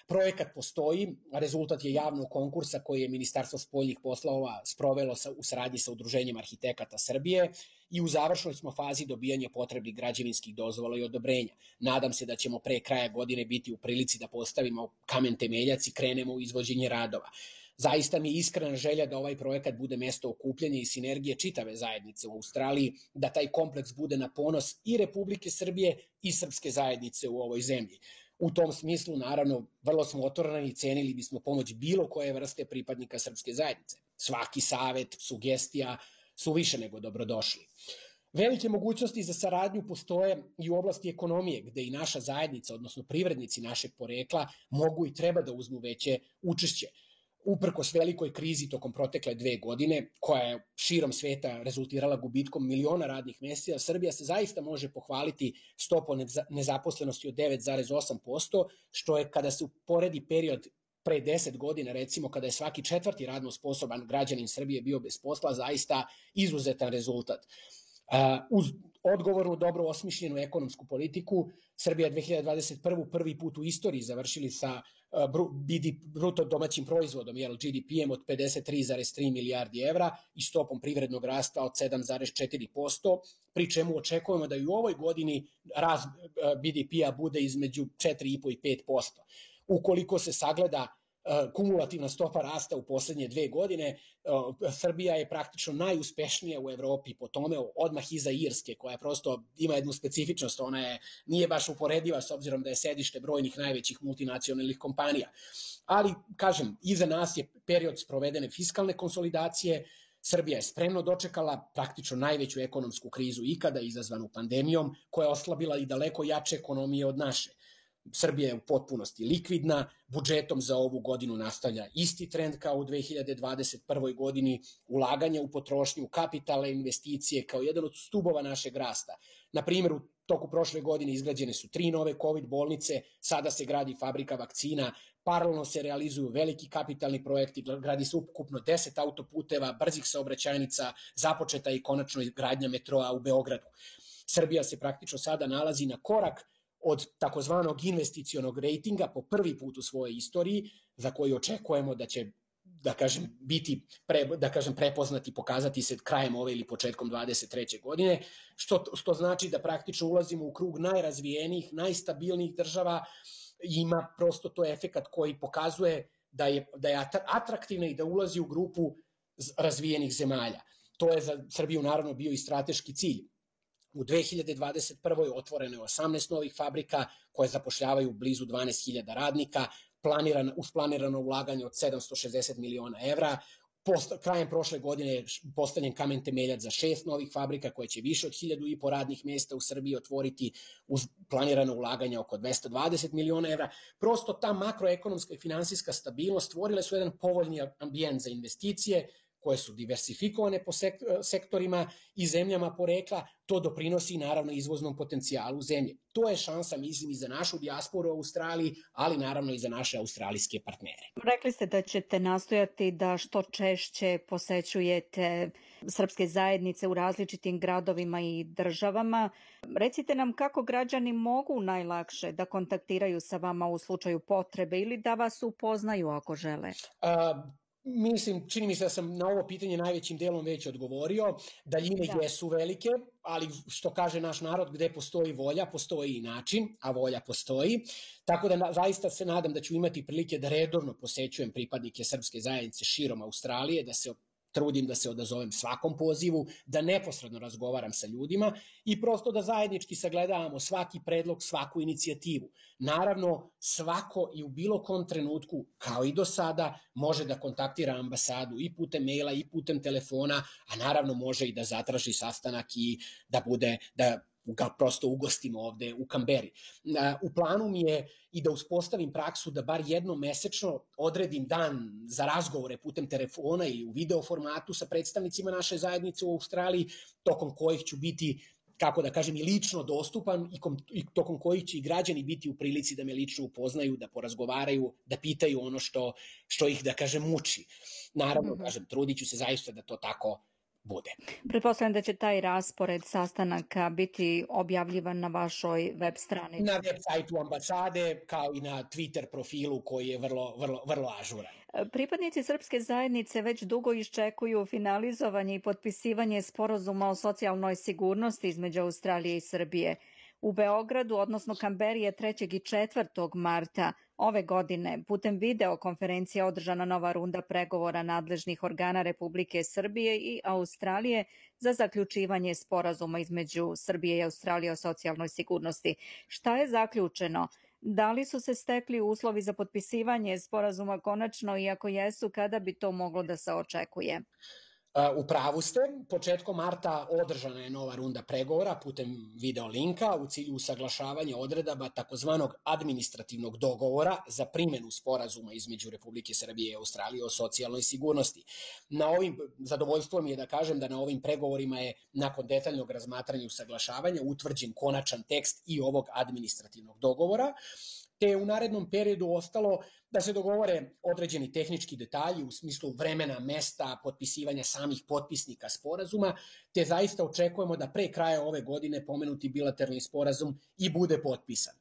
Projekat postoji, rezultat je javnog konkursa koji je Ministarstvo spoljnih poslova sprovelo u saradnji sa Udruženjem arhitekata Srbije i u završnoj smo fazi dobijanja potrebnih građevinskih dozvola i odobrenja. Nadam se da ćemo pre kraja godine biti u prilici da postavimo kamen temeljac i krenemo u izvođenje radova. Zaista mi je iskrena želja da ovaj projekat bude mesto okupljanja i sinergije čitave zajednice u Australiji, da taj kompleks bude na ponos i Republike Srbije i srpske zajednice u ovoj zemlji. U tom smislu, naravno, vrlo smo otvoreni i cenili bismo pomoć bilo koje vrste pripadnika srpske zajednice. Svaki savet, sugestija su više nego dobrodošli. Velike mogućnosti za saradnju postoje i u oblasti ekonomije, gde i naša zajednica, odnosno privrednici našeg porekla, mogu i treba da uzmu veće učešće. Uprkos velikoj krizi tokom protekle 2 godine, koja je širom sveta rezultirala gubitkom miliona radnih mesta, Srbija se zaista može pohvaliti stopom nezaposlenosti od 9,8%, što je, kada se uporedi period pre 10 godina, recimo, kada je svaki 4. radno sposoban građanin Srbije bio bez posla, zaista izuzetan rezultat. Uz odgovornu, dobro osmišljenu ekonomsku politiku, Srbija 2021. prvi put u istoriji završili sa bruto domaćim proizvodom, GDP-em od 53,3 milijardi evra i stopom privrednog rasta od 7,4%, pri čemu očekujemo da i u ovoj godini rast BDP-a bude između 4,5% i 5%. Ukoliko se sagleda kumulativna stopa rasta u poslednje 2 godine, Srbija je praktično najuspešnija u Evropi po tome, odmah iza Irske, koja prosto ima jednu specifičnost, ona nije baš uporediva s obzirom da je sedište brojnih najvećih multinacionalnih kompanija. Ali, kažem, iza nas je period sprovedene fiskalne konsolidacije, Srbija je spremno dočekala praktično najveću ekonomsku krizu ikada izazvanu pandemijom, koja je oslabila i daleko jače ekonomije od naše. Srbija je u potpunosti likvidna, budžetom za ovu godinu nastavlja isti trend kao u 2021. godini, ulaganja u potrošnju, kapitalne investicije kao jedan od stubova našeg rasta. Na primjer, u toku prošle godine izgrađene su 3 nove COVID bolnice, sada se gradi fabrika vakcina, paralelno se realizuju veliki kapitalni projekti, gradi se ukupno 10 autoputeva, brzih saobraćajnica, započeta i konačno gradnja metroa u Beogradu. Srbija se praktično sada nalazi na korak od takozvanog investicionog rejtinga po prvi put u svojoj istoriji, za koji očekujemo da će biti prepoznati, pokazati se krajem ove ili početkom 23. godine, što znači da praktično ulazimo u krug najrazvijenijih, najstabilnijih država. Ima prosto to efekat koji pokazuje da je atraktivna i da ulazi u grupu razvijenih zemalja. To je za Srbiju naravno bio i strateški cilj. U 2021. otvoreno je 18 novih fabrika koje zapošljavaju blizu 12.000 radnika, uz planirano ulaganje od 760 miliona evra. Krajem prošle godine je postavljen kamen temeljac za 6 novih fabrika koje će više od 1.500 radnih mesta u Srbiji otvoriti uz planirano ulaganje oko 220 miliona evra. Prosto ta makroekonomska i finansijska stabilnost stvorile su jedan povoljni ambijent za investicije koje su diversifikovane po sektorima i zemljama porekla. To doprinosi naravno izvoznom potencijalu zemlje. To je šansa, mislim, i za našu dijasporu u Australiji, ali naravno i za naše australijske partnere. Rekli ste da ćete nastojati da što češće posećujete srpske zajednice u različitim gradovima i državama. Recite nam kako građani mogu najlakše da kontaktiraju sa vama u slučaju potrebe ili da vas upoznaju ako žele. Čini mi se da sam na ovo pitanje najvećim delom već odgovorio. Daljine jesu velike, ali što kaže naš narod, gde postoji volja, postoji i način, a volja postoji. Tako da zaista se nadam da ću imati prilike da redovno posećujem pripadnike srpske zajednice širom Australije, da se trudim da se odazovem svakom pozivu, da neposredno razgovaram sa ljudima i prosto da zajednički sagledavamo svaki predlog, svaku inicijativu. Naravno, svako i u bilo kom trenutku, kao i do sada, može da kontaktira ambasadu i putem maila i putem telefona, a naravno može i da zatraži sastanak i da ga prosto ugostimo ovde u Kamberi. U planu mi je i da uspostavim praksu da bar jednom mesečno odredim dan za razgovore putem telefona ili u video formatu sa predstavnicima naše zajednice u Australiji, tokom kojih ću biti, kako da kažem, i lično dostupan i tokom kojih će i građani biti u prilici da me lično upoznaju, da porazgovaraju, da pitaju ono što ih, da kažem, muči. Naravno, trudit ću se zaista da to tako bude. Pretpostavljam da će taj raspored sastanaka biti objavljivan na vašoj web stranici. Na web sajtu ambasade, kao i na Twitter profilu koji je vrlo ažuran. Pripadnici srpske zajednice već dugo iščekuju finalizovanje i potpisivanje sporazuma o socijalnoj sigurnosti između Australije i Srbije. U Beogradu, odnosno Kamberi, je 3. i 4. marta ove godine putem videokonferencije održana nova runda pregovora nadležnih organa Republike Srbije i Australije za zaključivanje sporazuma između Srbije i Australije o socijalnoj sigurnosti. Šta je zaključeno? Da li su se stekli uslovi za potpisivanje sporazuma konačno i ako jesu, kada bi to moglo da se očekuje? U pravu ste, početkom marta održana je nova runda pregovora putem video linka u cilju usaglašavanja odredaba takozvanog administrativnog dogovora za primjenu sporazuma između Republike Srbije i Australije o socijalnoj sigurnosti. Zadovoljstvo mi je da kažem da na ovim pregovorima je nakon detaljnog razmatranja i usaglašavanja utvrđen konačan tekst i ovog administrativnog dogovora, te je u narednom periodu ostalo da se dogovore određeni tehnički detalji u smislu vremena, mesta, potpisivanja samih potpisnika sporazuma, te zaista očekujemo da pre kraja ove godine pomenuti bilateralni sporazum i bude potpisan.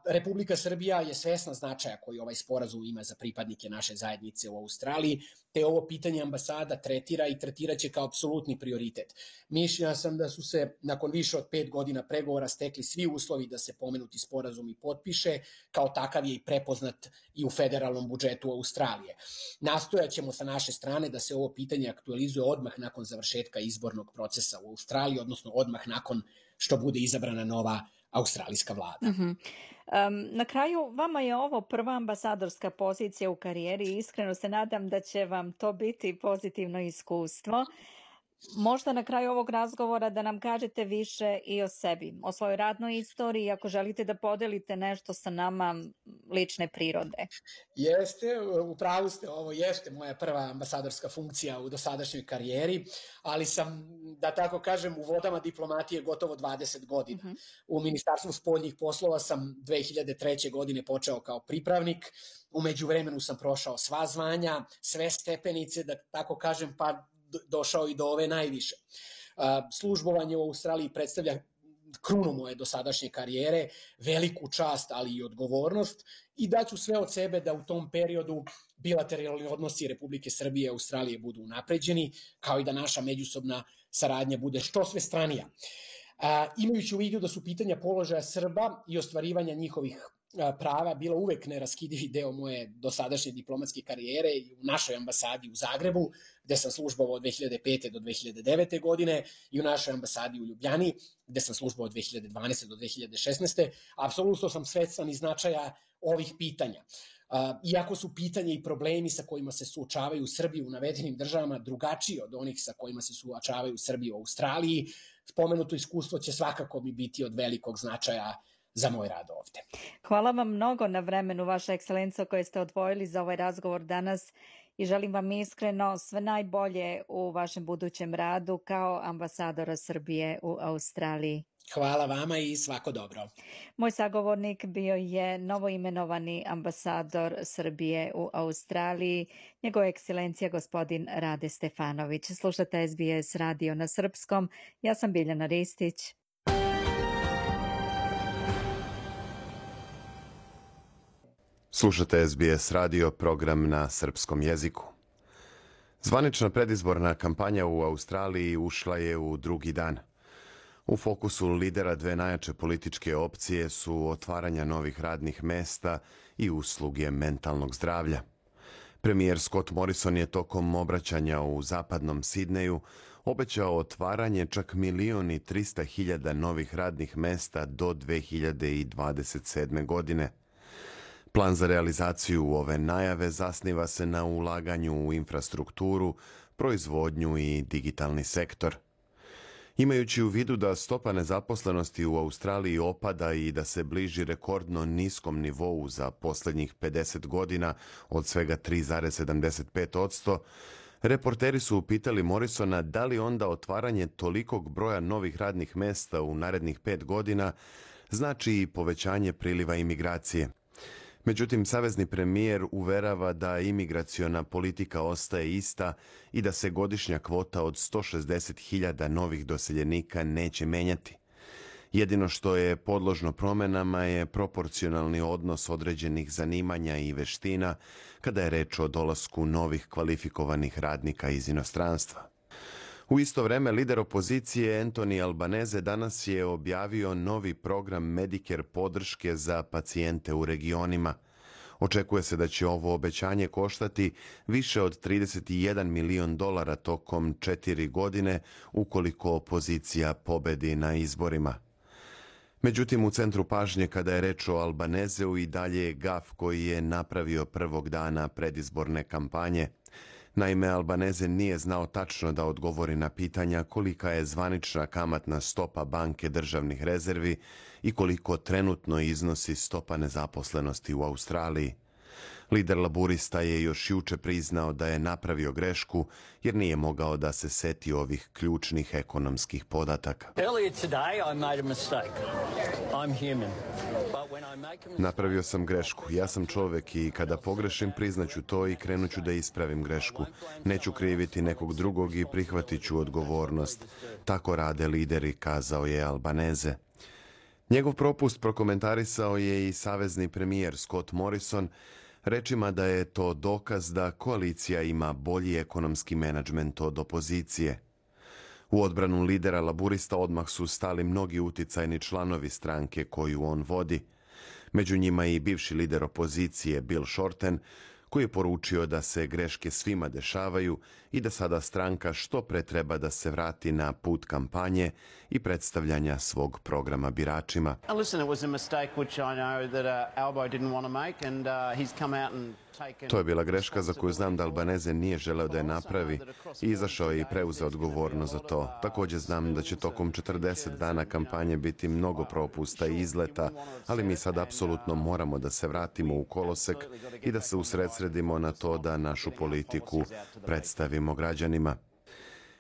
Republika Srbija je svesna značaja koji ovaj sporazum ima za pripadnike naše zajednice u Australiji, te ovo pitanje ambasada tretira i tretiraće kao apsolutni prioritet. Mišljenja sam da su se nakon više od 5 godina pregovora stekli svi uslovi da se pomenuti sporazum i potpiše, kao takav je i prepoznat i u federalnom budžetu Australije. Nastojaćemo sa naše strane da se ovo pitanje aktualizuje odmah nakon završetka izbornog procesa u Australiji, odnosno odmah nakon što bude izabrana nova australijska vlada. Na kraju, vama je ovo prva ambasadorska pozicija u karijeri i iskreno se nadam da će vam to biti pozitivno iskustvo. Možda na kraju ovog razgovora da nam kažete više i o sebi, o svojoj radnoj istoriji, ako želite da podelite nešto sa nama lične prirode. Jeste, upravo ste, ovo jeste moja prva ambasadorska funkcija u dosadašnjoj karijeri, ali sam, da tako kažem, u vodama diplomatije gotovo 20 godina. U Ministarstvu spoljnih poslova sam 2003. godine počeo kao pripravnik, u međuvremenu sam prošao sva zvanja, sve stepenice, da tako kažem, pa došao i do ove najviše. Službovanje u Australiji predstavlja krunu moje dosadašnje karijere, veliku čast, ali i odgovornost, i daću sve od sebe da u tom periodu bilateralni odnosi Republike Srbije i Australije budu unapređeni, kao i da naša međusobna saradnja bude što svestranija. Imajući u vidu da su pitanja položaja Srba i ostvarivanja njihovih prava bila uvek neraskidivi deo moje dosadašnje diplomatske karijere u našoj ambasadi u Zagrebu, gde sam službovao od 2005. do 2009. godine, i u našoj ambasadi u Ljubljani, gde sam službovao od 2012. do 2016. Apsolutno sam svestan i značaja ovih pitanja. Iako su pitanja i problemi sa kojima se suočavaju Srbi u navedenim državama drugačiji od onih sa kojima se suočavaju Srbi u Australiji, spomenuto iskustvo će svakako mi biti od velikog značaja za moj rad ovde. Hvala vam mnogo na vremenu, Vaša ekscelenco, koje ste odvojili za ovaj razgovor danas, i želim vam iskreno sve najbolje u vašem budućem radu kao ambasadora Srbije u Australiji. Hvala vama i svako dobro. Moj sagovornik bio je novoimenovani ambasador Srbije u Australiji, njegova ekscelencija gospodin Rade Stefanović. Slušate SBS radio na srpskom. Ja sam Biljana Ristić. Slušate SBS radio, program na srpskom jeziku. Zvanična predizborna kampanja u Australiji ušla je u drugi dan. U fokusu lidera dve najjače političke opcije su otvaranja novih radnih mesta i usluge mentalnog zdravlja. Premijer Scott Morrison je tokom obraćanja u zapadnom Sidneju obećao otvaranje čak 1.300.000 novih radnih mesta do 2027. godine. Plan za realizaciju ove najave zasniva se na ulaganju u infrastrukturu, proizvodnju i digitalni sektor. Imajući u vidu da stopa nezaposlenosti u Australiji opada i da se bliži rekordno niskom nivou za posljednjih 50 godina od svega 3,75%, reporteri su upitali Morrisona da li onda otvaranje tolikog broja novih radnih mesta u narednih 5 godina znači i povećanje priliva imigracije. Međutim, savezni premijer uverava da imigraciona politika ostaje ista i da se godišnja kvota od 160.000 novih doseljenika neće menjati. Jedino što je podložno promjenama je proporcionalni odnos određenih zanimanja i veština kada je reč o dolasku novih kvalifikovanih radnika iz inostranstva. U isto vreme, lider opozicije Anthony Albanese danas je objavio novi program Medicare podrške za pacijente u regionima. Očekuje se da će ovo obećanje koštati više od $31 milion tokom 4 godine ukoliko opozicija pobedi na izborima. Međutim, u centru pažnje kada je reč o Albaneseu i dalje je gaf koji je napravio prvog dana predizborne kampanje. Naime, Albanese nije znao tačno da odgovori na pitanja kolika je zvanična kamatna stopa banke državnih rezervi i koliko trenutno iznosi stopa nezaposlenosti u Australiji. Lider laburista je još juče priznao da je napravio grešku jer nije mogao da se seti ovih ključnih ekonomskih podataka. Napravio sam grešku. Ja sam čovjek i kada pogrešim priznaću to i krenuću da ispravim grešku. Neću kriviti nekog drugog i prihvatit ću odgovornost. Tako rade lideri, kazao je Albanese. Njegov propust prokomentarisao je i savezni premijer Scott Morrison, rečima da je to dokaz da koalicija ima bolji ekonomski menadžment od opozicije. U odbranu lidera laburista odmah su stali mnogi uticajni članovi stranke koju on vodi. Među njima i bivši lider opozicije Bill Shorten, koji je poručio da se greške svima dešavaju i da sada stranka što pre treba da se vrati na put kampanje i predstavljanja svog programa biračima. To je bila greška za koju znam da Albanese nije želeo da je napravi i izašao je i preuzeo odgovornost za to. Također znam da će tokom 40 dana kampanje biti mnogo propusta i izleta, ali mi sad apsolutno moramo da se vratimo u kolosek i da se usredsredimo na to da našu politiku predstavimo građanima.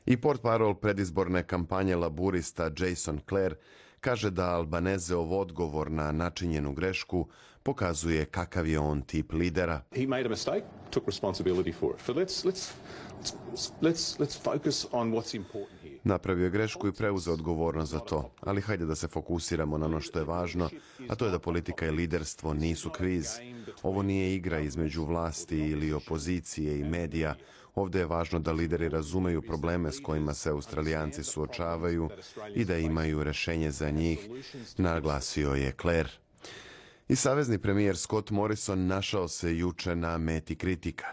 I portparol predizborne kampanje laburista Jason Clare kaže da Albaneseov odgovor na načinjenu grešku pokazuje kakav je on tip lidera. He made a mistake, took responsibility for it. But let's focus on what's important here. Napravio je grešku i preuzeo odgovornost za to, ali hajde da se fokusiramo na ono što je važno, a to je da politika i liderstvo nisu kviz. Ovo nije igra između vlasti ili opozicije i medija. Ovdje je važno da lideri razumeju probleme s kojima se Australijanci suočavaju i da imaju rješenje za njih, naglasio je Clare. I savezni premijer Scott Morrison našao se juče na meti kritika.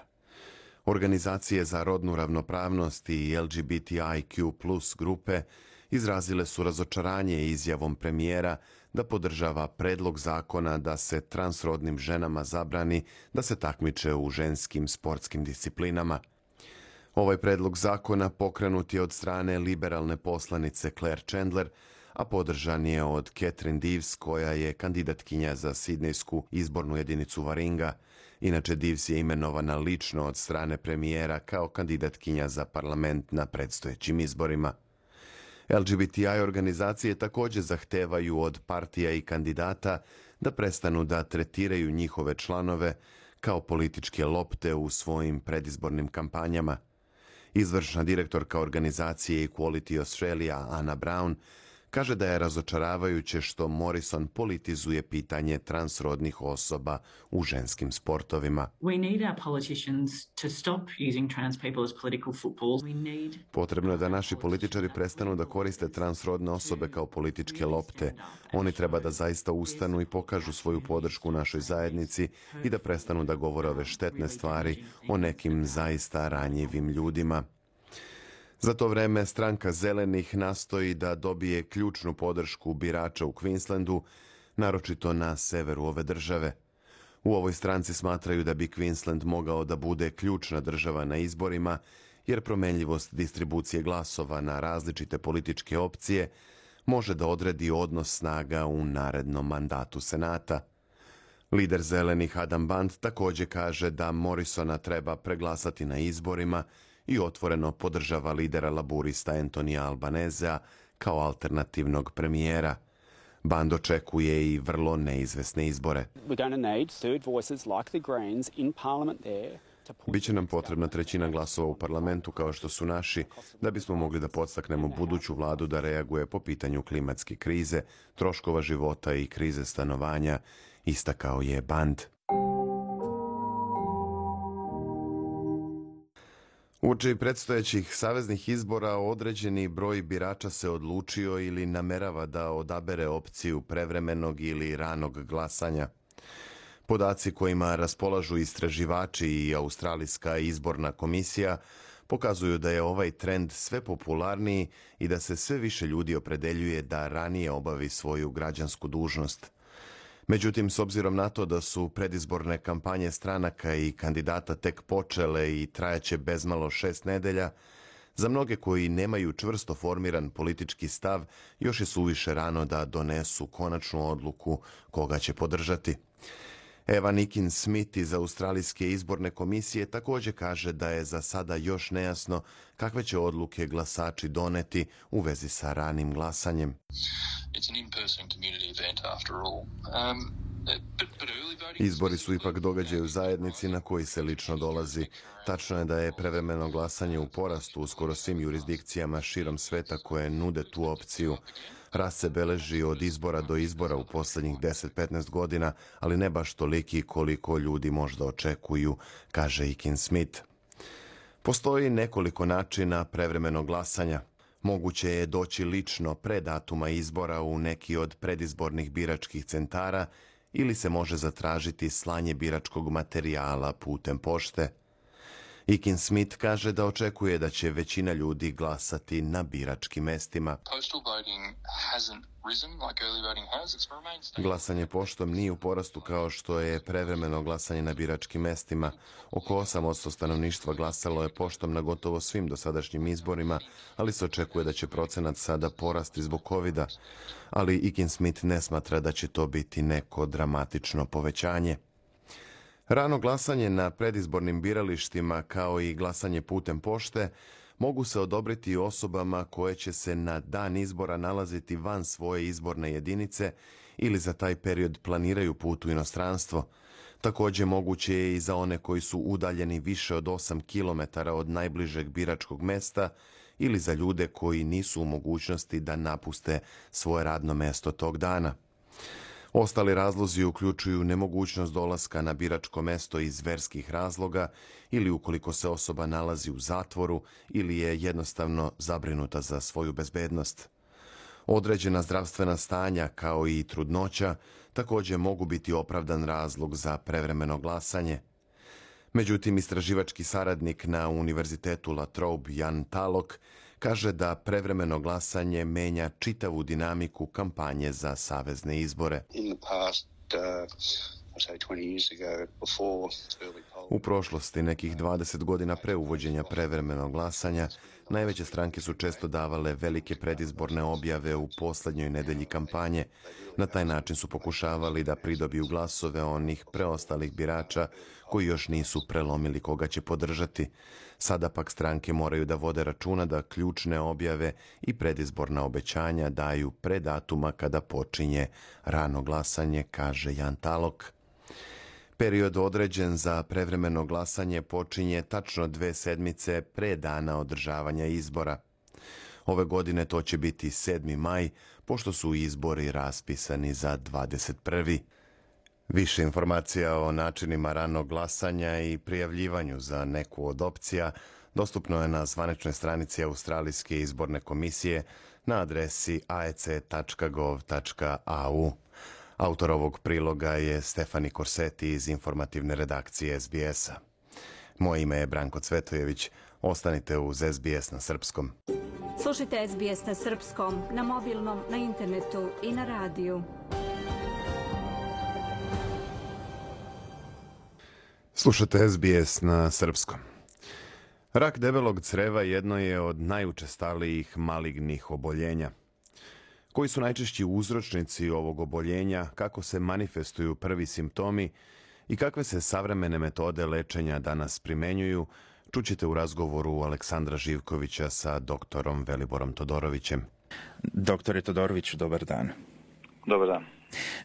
Organizacije za rodnu ravnopravnost i LGBTIQ+ grupe izrazile su razočaranje izjavom premijera da podržava predlog zakona da se transrodnim ženama zabrani da se takmiče u ženskim sportskim disciplinama. Ovaj predlog zakona pokrenut je od strane liberalne poslanice Claire Chandler, a podržan je od Catherine Deves, koja je kandidatkinja za sidnejsku izbornu jedinicu Waringa. Inače, Deves je imenovana lično od strane premijera kao kandidatkinja za parlament na predstojećim izborima. LGBTI organizacije također zahtevaju od partija i kandidata da prestanu da tretiraju njihove članove kao političke lopte u svojim predizbornim kampanjama. Izvršna direktorka organizacije Equality Australia, Anna Brown, kaže da je razočaravajuće što Morrison politizuje pitanje transrodnih osoba u ženskim sportovima. Potrebno je da naši političari prestanu da koriste transrodne osobe kao političke lopte. Oni treba da zaista ustanu i pokažu svoju podršku našoj zajednici i da prestanu da govore ove štetne stvari o nekim zaista ranjivim ljudima. Za to vreme stranka Zelenih nastoji da dobije ključnu podršku birača u Queenslandu, naročito na severu ove države. U ovoj stranci smatraju da bi Queensland mogao da bude ključna država na izborima, jer promenljivost distribucije glasova na različite političke opcije može da odredi odnos snaga u narednom mandatu Senata. Lider Zelenih Adam Band također kaže da Morrisona treba preglasati na izborima i otvoreno podržava lidera laburista Antonija Albanesea kao alternativnog premijera. Band očekuje i vrlo neizvesne izbore. Biće nam potrebna trećina glasova u parlamentu kao što su naši, da bismo mogli da podstaknemo buduću vladu da reaguje po pitanju klimatske krize, troškova života i krize stanovanja, istakao je Band. Uoči predstojećih saveznih izbora određeni broj birača se odlučio ili namerava da odabere opciju prevremenog ili ranog glasanja. Podaci kojima raspolažu istraživači i Australijska izborna komisija pokazuju da je ovaj trend sve popularniji i da se sve više ljudi opredeljuje da ranije obavi svoju građansku dužnost. Međutim, s obzirom na to da su predizborne kampanje stranaka i kandidata tek počele i trajaće bezmalo 6 nedelja, za mnoge koji nemaju čvrsto formiran politički stav, još je suviše rano da donesu konačnu odluku koga će podržati. Evan Ikin-Smith iz Australijske izborne komisije također kaže da je za sada još nejasno kakve će odluke glasači doneti u vezi sa ranim glasanjem. Izbori su ipak događaj u zajednici na koji se lično dolazi. Tačno je da je prevremeno glasanje u porastu u skoro svim jurisdikcijama širom sveta koje nude tu opciju. Rast se beleži od izbora do izbora u posljednjih 10-15 godina, ali ne baš toliki koliko ljudi možda očekuju, kaže Ikin-Smith. Postoji nekoliko načina prevremenog glasanja. Moguće je doći lično pre datuma izbora u neki od predizbornih biračkih centara ili se može zatražiti slanje biračkog materijala putem pošte. Ikin Smith kaže da očekuje da će većina ljudi glasati na biračkim mestima. Glasanje poštom nije u porastu kao što je prevremeno glasanje na biračkim mestima. Oko 8% stanovništva glasalo je poštom na gotovo svim dosadašnjim izborima, ali se očekuje da će procenat sada porasti zbog covida. Ali Ikin Smith ne smatra da će to biti neko dramatično povećanje. Rano glasanje na predizbornim biralištima kao i glasanje putem pošte mogu se odobriti osobama koje će se na dan izbora nalaziti van svoje izborne jedinice ili za taj period planiraju put u inostranstvo. Također moguće je i za one koji su udaljeni više od 8 km od najbližeg biračkog mesta ili za ljude koji nisu u mogućnosti da napuste svoje radno mesto tog dana. Ostali razlozi uključuju nemogućnost dolaska na biračko mesto iz verskih razloga ili ukoliko se osoba nalazi u zatvoru ili je jednostavno zabrinuta za svoju bezbednost. Određena zdravstvena stanja kao i trudnoća također mogu biti opravdan razlog za prevremeno glasanje. Međutim, istraživački saradnik na Univerzitetu La Trobe Jan Talok kaže da prevremeno glasanje menja čitavu dinamiku kampanje za savezne izbore. U prošlosti, nekih 20 godina pre uvođenja prevremenog glasanja, najveće stranke su često davale velike predizborne objave u posljednjoj nedelji kampanje. Na taj način su pokušavali da pridobiju glasove onih preostalih birača koji još nisu prelomili koga će podržati. Sada pak stranke moraju da vode računa da ključne objave i predizborna obećanja daju pre datuma kada počinje rano glasanje, kaže Jan Talok. Period određen za prevremeno glasanje počinje tačno 2 sedmice pre dana održavanja izbora. Ove godine to će biti 7. maj, pošto su izbori raspisani za 21. Više informacija o načinima ranog glasanja i prijavljivanju za neku od opcija dostupno je na zvaničnoj stranici Australijske izborne komisije na adresi aec.gov.au. Autor ovog priloga je Stefani Korseti iz informativne redakcije SBS-a. Moje ime je Branko Cvetojević. Ostanite uz SBS na srpskom. Slušajte SBS na srpskom, na mobilnom, na internetu i na radiju. Slušate SBS na srpskom. Rak debelog creva jedno je od najučestalijih malignih oboljenja. Koji su najčešći uzročnici ovog oboljenja, kako se manifestuju prvi simptomi i kakve se savremene metode lečenja danas primenjuju, čućete u razgovoru Aleksandra Živkovića sa doktorom Veliborom Todorovićem. Doktore Todoroviću, dobar dan. Dobar dan.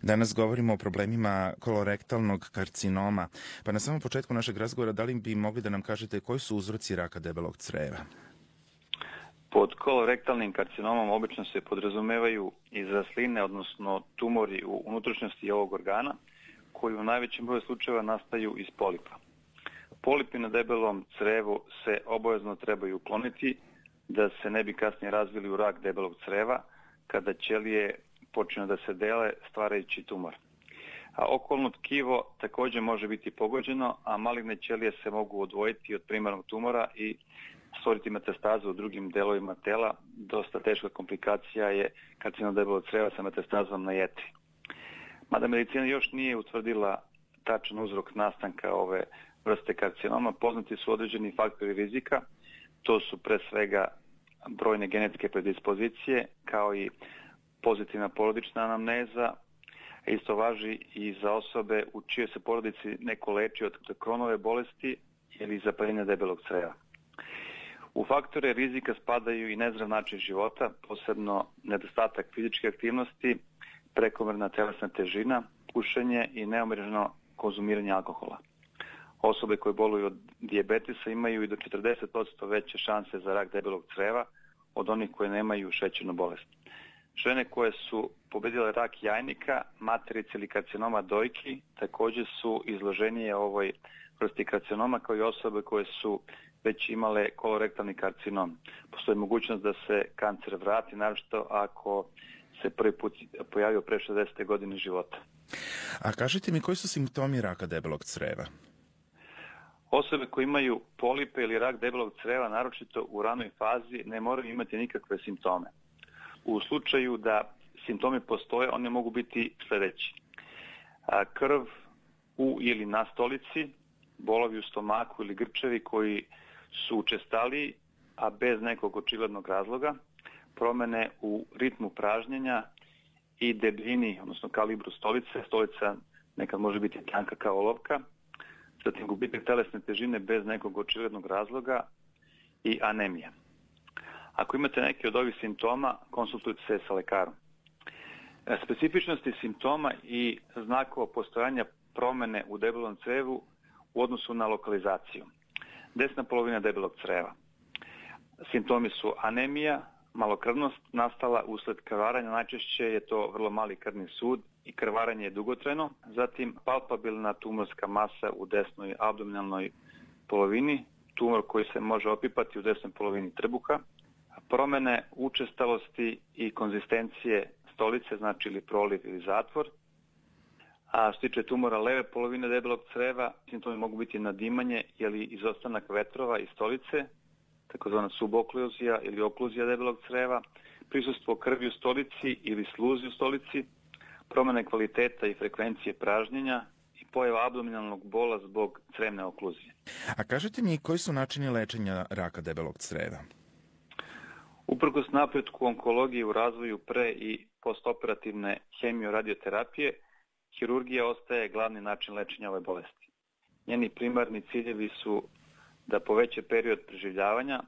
Danas govorimo o problemima kolorektalnog karcinoma. Pa na samom početku našeg razgovora, da li bi mogli da nam kažete koji su uzroci raka debelog creva? Pod kolorektalnim karcinomom obično se podrazumevaju izrasline, odnosno tumori u unutrašnjosti ovog organa, koji u najvećem broju slučajeva nastaju iz polipa. Polipi na debelom crevu se obavezno trebaju ukloniti da se ne bi kasnije razvili u rak debelog creva kada ćelije počinju da se dele stvarajući tumor. A okolno tkivo također može biti pogođeno, a maligne ćelije se mogu odvojiti od primarnog tumora i stvoriti metastazu u drugim delovima tela. Dosta teška komplikacija je karcinom debelog creva sa metastazom na jetri. Mada medicina još nije utvrdila tačan uzrok nastanka ove vrste karcinoma, poznati su određeni faktori rizika. To su pre svega brojne genetske predispozicije, kao i pozitivna porodična anamneza. Isto važi i za osobe u čijoj se porodici neko leči od Kronove bolesti ili zapaljenja debelog creva. U faktore rizika spadaju i nezdrav način života, posebno nedostatak fizičke aktivnosti, prekomerna telesna težina, pušenje i neomeđeno konzumiranje alkohola. Osobe koje boluju od dijabetesa imaju i do 40% veće šanse za rak debelog creva od onih koje nemaju šećernu bolest. Žene koje su pobedile rak jajnika, materice ili karcinoma dojki također su izloženije ovoj vrsti karcinoma, kao i osobe koje su već imale kolorektalni karcinom. Postoji mogućnost da se kancer vrati, naročito ako se prvi put pojavio pre 60. godine života. A kažite mi, koji su simptomi raka debelog creva? Osobe koje imaju polipe ili rak debelog creva, naročito u ranoj fazi, ne moraju imati nikakve simptome. U slučaju da simptomi postoje, oni mogu biti sljedeći. Krv u ili na stolici, bolovi u stomaku ili grčevi koji su učestaliji, a bez nekog očiglednog razloga, promjene u ritmu pražnjenja i debljini, odnosno kalibru stolice. Stolica nekad može biti tanka kao olovka, zatim gubitak telesne težine bez nekog očiglednog razloga i anemija. Ako imate neke od ovih simptoma, konsultujte se sa lekarom. Specifičnosti simptoma i znakova postojanja promjene u debelom crevu u odnosu na lokalizaciju. Desna polovina debelog creva. Simptomi su anemija, malokrvnost nastala usled krvaranja, najčešće je to vrlo mali krvni sud i krvaranje je dugotrajno. Zatim palpabilna tumorska masa u desnoj abdominalnoj polovini, tumor koji se može opipati u desnoj polovini trbuha, promjene učestalosti i konzistencije stolice, znači ili proliv ili zatvor. A što se tiče tumora leve polovine debelog creva, simptomi mogu biti nadimanje ili izostanak vetrova iz stolice, takozvana subokluzija ili okluzija debelog creva, prisustvo krvi u stolici ili sluzi u stolici, promjene kvaliteta i frekvencije pražnjenja i pojava abdominalnog bola zbog crevne okluzije. A kažete mi, koji su načini lečenja raka debelog creva? Uprkos napretku onkologije u razvoju pre i postoperativne hemioradioterapije, hirurgija ostaje glavni način lečenja ove bolesti. Njeni primarni ciljevi su da poveća period preživljavanja,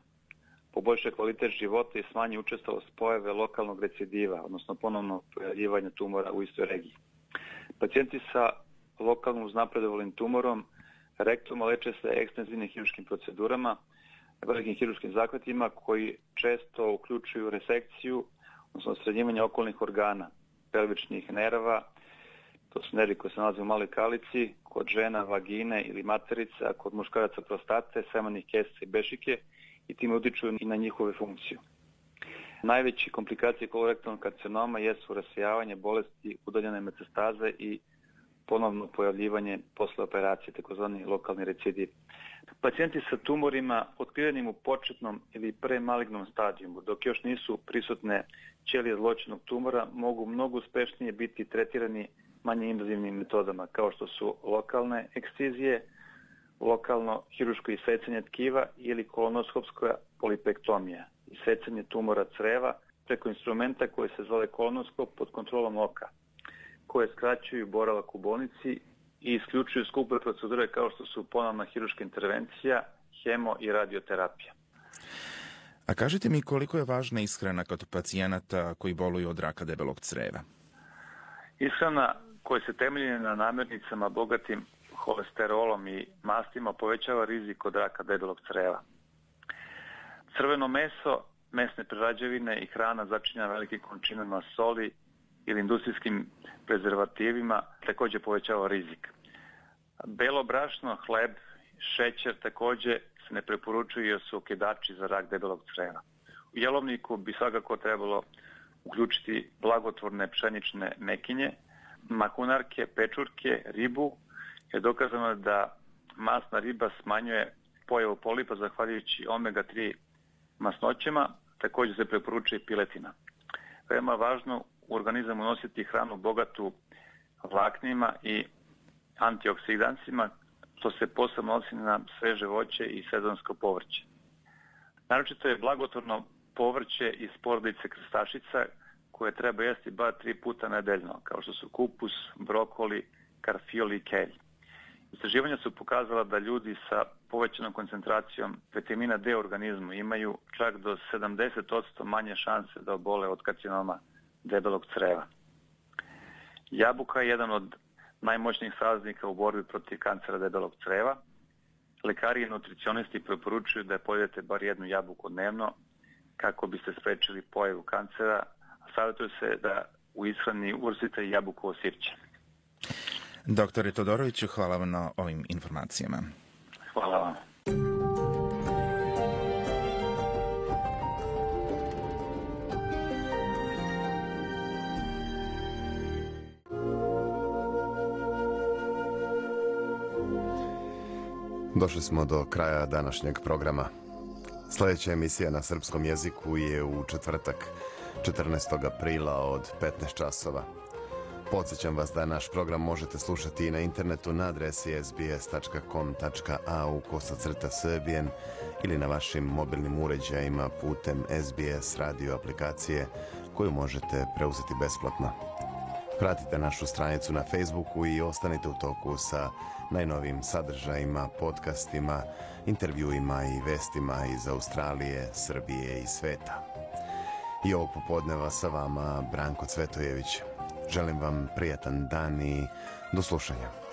poboljša kvalitet života i smanji učestalost pojave lokalnog recidiva, odnosno ponovno pojavljivanja tumora u istoj regiji. Pacijenti sa lokalno uznapredovalim tumorom rektuma leče se ekstenzivnim hirurškim procedurama, velikim hirurškim zahvatima koji često uključuju resekciju, odnosno srednjivanje okolnih organa, pelvičnih nerva, to su nervi koji se nalaze u maloj kalici, kod žena vagine ili materice, a kod muškaraca prostate, semenih kesica i bešike i time utiču i na njihove funkciju. Najveće komplikacije kolorektalnog karcinoma jesu rasijavanje bolesti, udaljene metastaze i ponovno pojavljivanje posle operacije, takozvani lokalni recidiv. Pacijenti sa tumorima otkrivenim u početnom ili premalignom stadijumu, dok još nisu prisutne ćelije zloćudnog tumora, mogu mnogo uspešnije biti tretirani manje invazivnim metodama, kao što su lokalne ekscizije, lokalno hiruško isecanje tkiva ili kolonoskopska polipektomija, isecanje tumora creva preko instrumenta koji se zove kolonoskop pod kontrolom oka, koje skraćuju boravak u bolnici i isključuju skupe procedure kao što su ponovna hiruška intervencija, hemo i radioterapija. A kažite mi, koliko je važna ishrana kod pacijenata koji boluju od raka debelog creva? Ishrana koja se temelji na namirnicama bogatim holesterolom i mastima povećava rizik od raka debelog creva. Crveno meso, mesne prerađevine i hrana začinjena velikim količinama soli ili industrijskim prezervativima također povećava rizik. Belo brašno, hleb, šećer također se ne preporučuju jer su okidači za rak debelog creva. U jelovniku bi svakako trebalo uključiti blagotvorne pšenične mekinje, mahunarke, pečurke, ribu. Je dokazano da masna riba smanjuje pojavu polipa zahvaljujući omega-3 masnoćama, također se preporučuje piletina. Veoma važno u organizam unositi hranu bogatu vlaknima i antioksidansima, što se posebno odnosi na sveže voće i sezonsko povrće. Naročito je blagotvorno povrće iz porodice krstašica koje treba jesti bar 3 puta nedeljno, kao što su kupus, brokoli, karfiol i kelj. Istraživanja su pokazala da ljudi sa povećanom koncentracijom vitamina D u organizmu imaju čak do 70% manje šanse da obole od karcinoma debelog creva. Jabuka je jedan od najmoćnijih saveznika u borbi protiv kancera debelog creva. Lekari i nutricionisti preporučuju da pojedete bar jednu jabuku dnevno kako biste sprečili pojavu kancera, a savjetuje se da u ishrani uvrstite i jabukovo sirće. Doktore Todoroviću, hvala vam na ovim informacijama. Hvala vam. Došli smo do kraja današnjeg programa. Sljedeća emisija na srpskom jeziku je u četvrtak, 14. aprila od 15 časova. Podsjećam vas da naš program možete slušati i na internetu na adresi sbs.com.au/Serbian ili na vašim mobilnim uređajima putem SBS radio aplikacije koju možete preuzeti besplatno. Pratite našu stranicu na Facebooku i ostanite u toku sa najnovijim sadržajima, podcastima, intervjuima i vestima iz Australije, Srbije i sveta. I ovog popodneva sa vama Branko Cvetojević. Želim vam prijatan dan i do slušanja.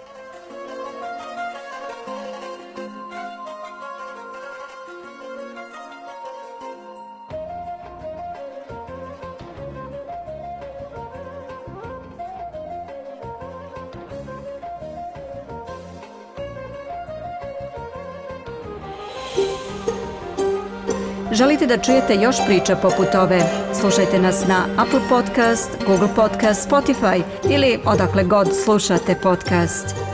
Želite da čujete još priča poput ove? Slušajte nas na Apple Podcast, Google Podcast, Spotify ili odakle god slušate podcast.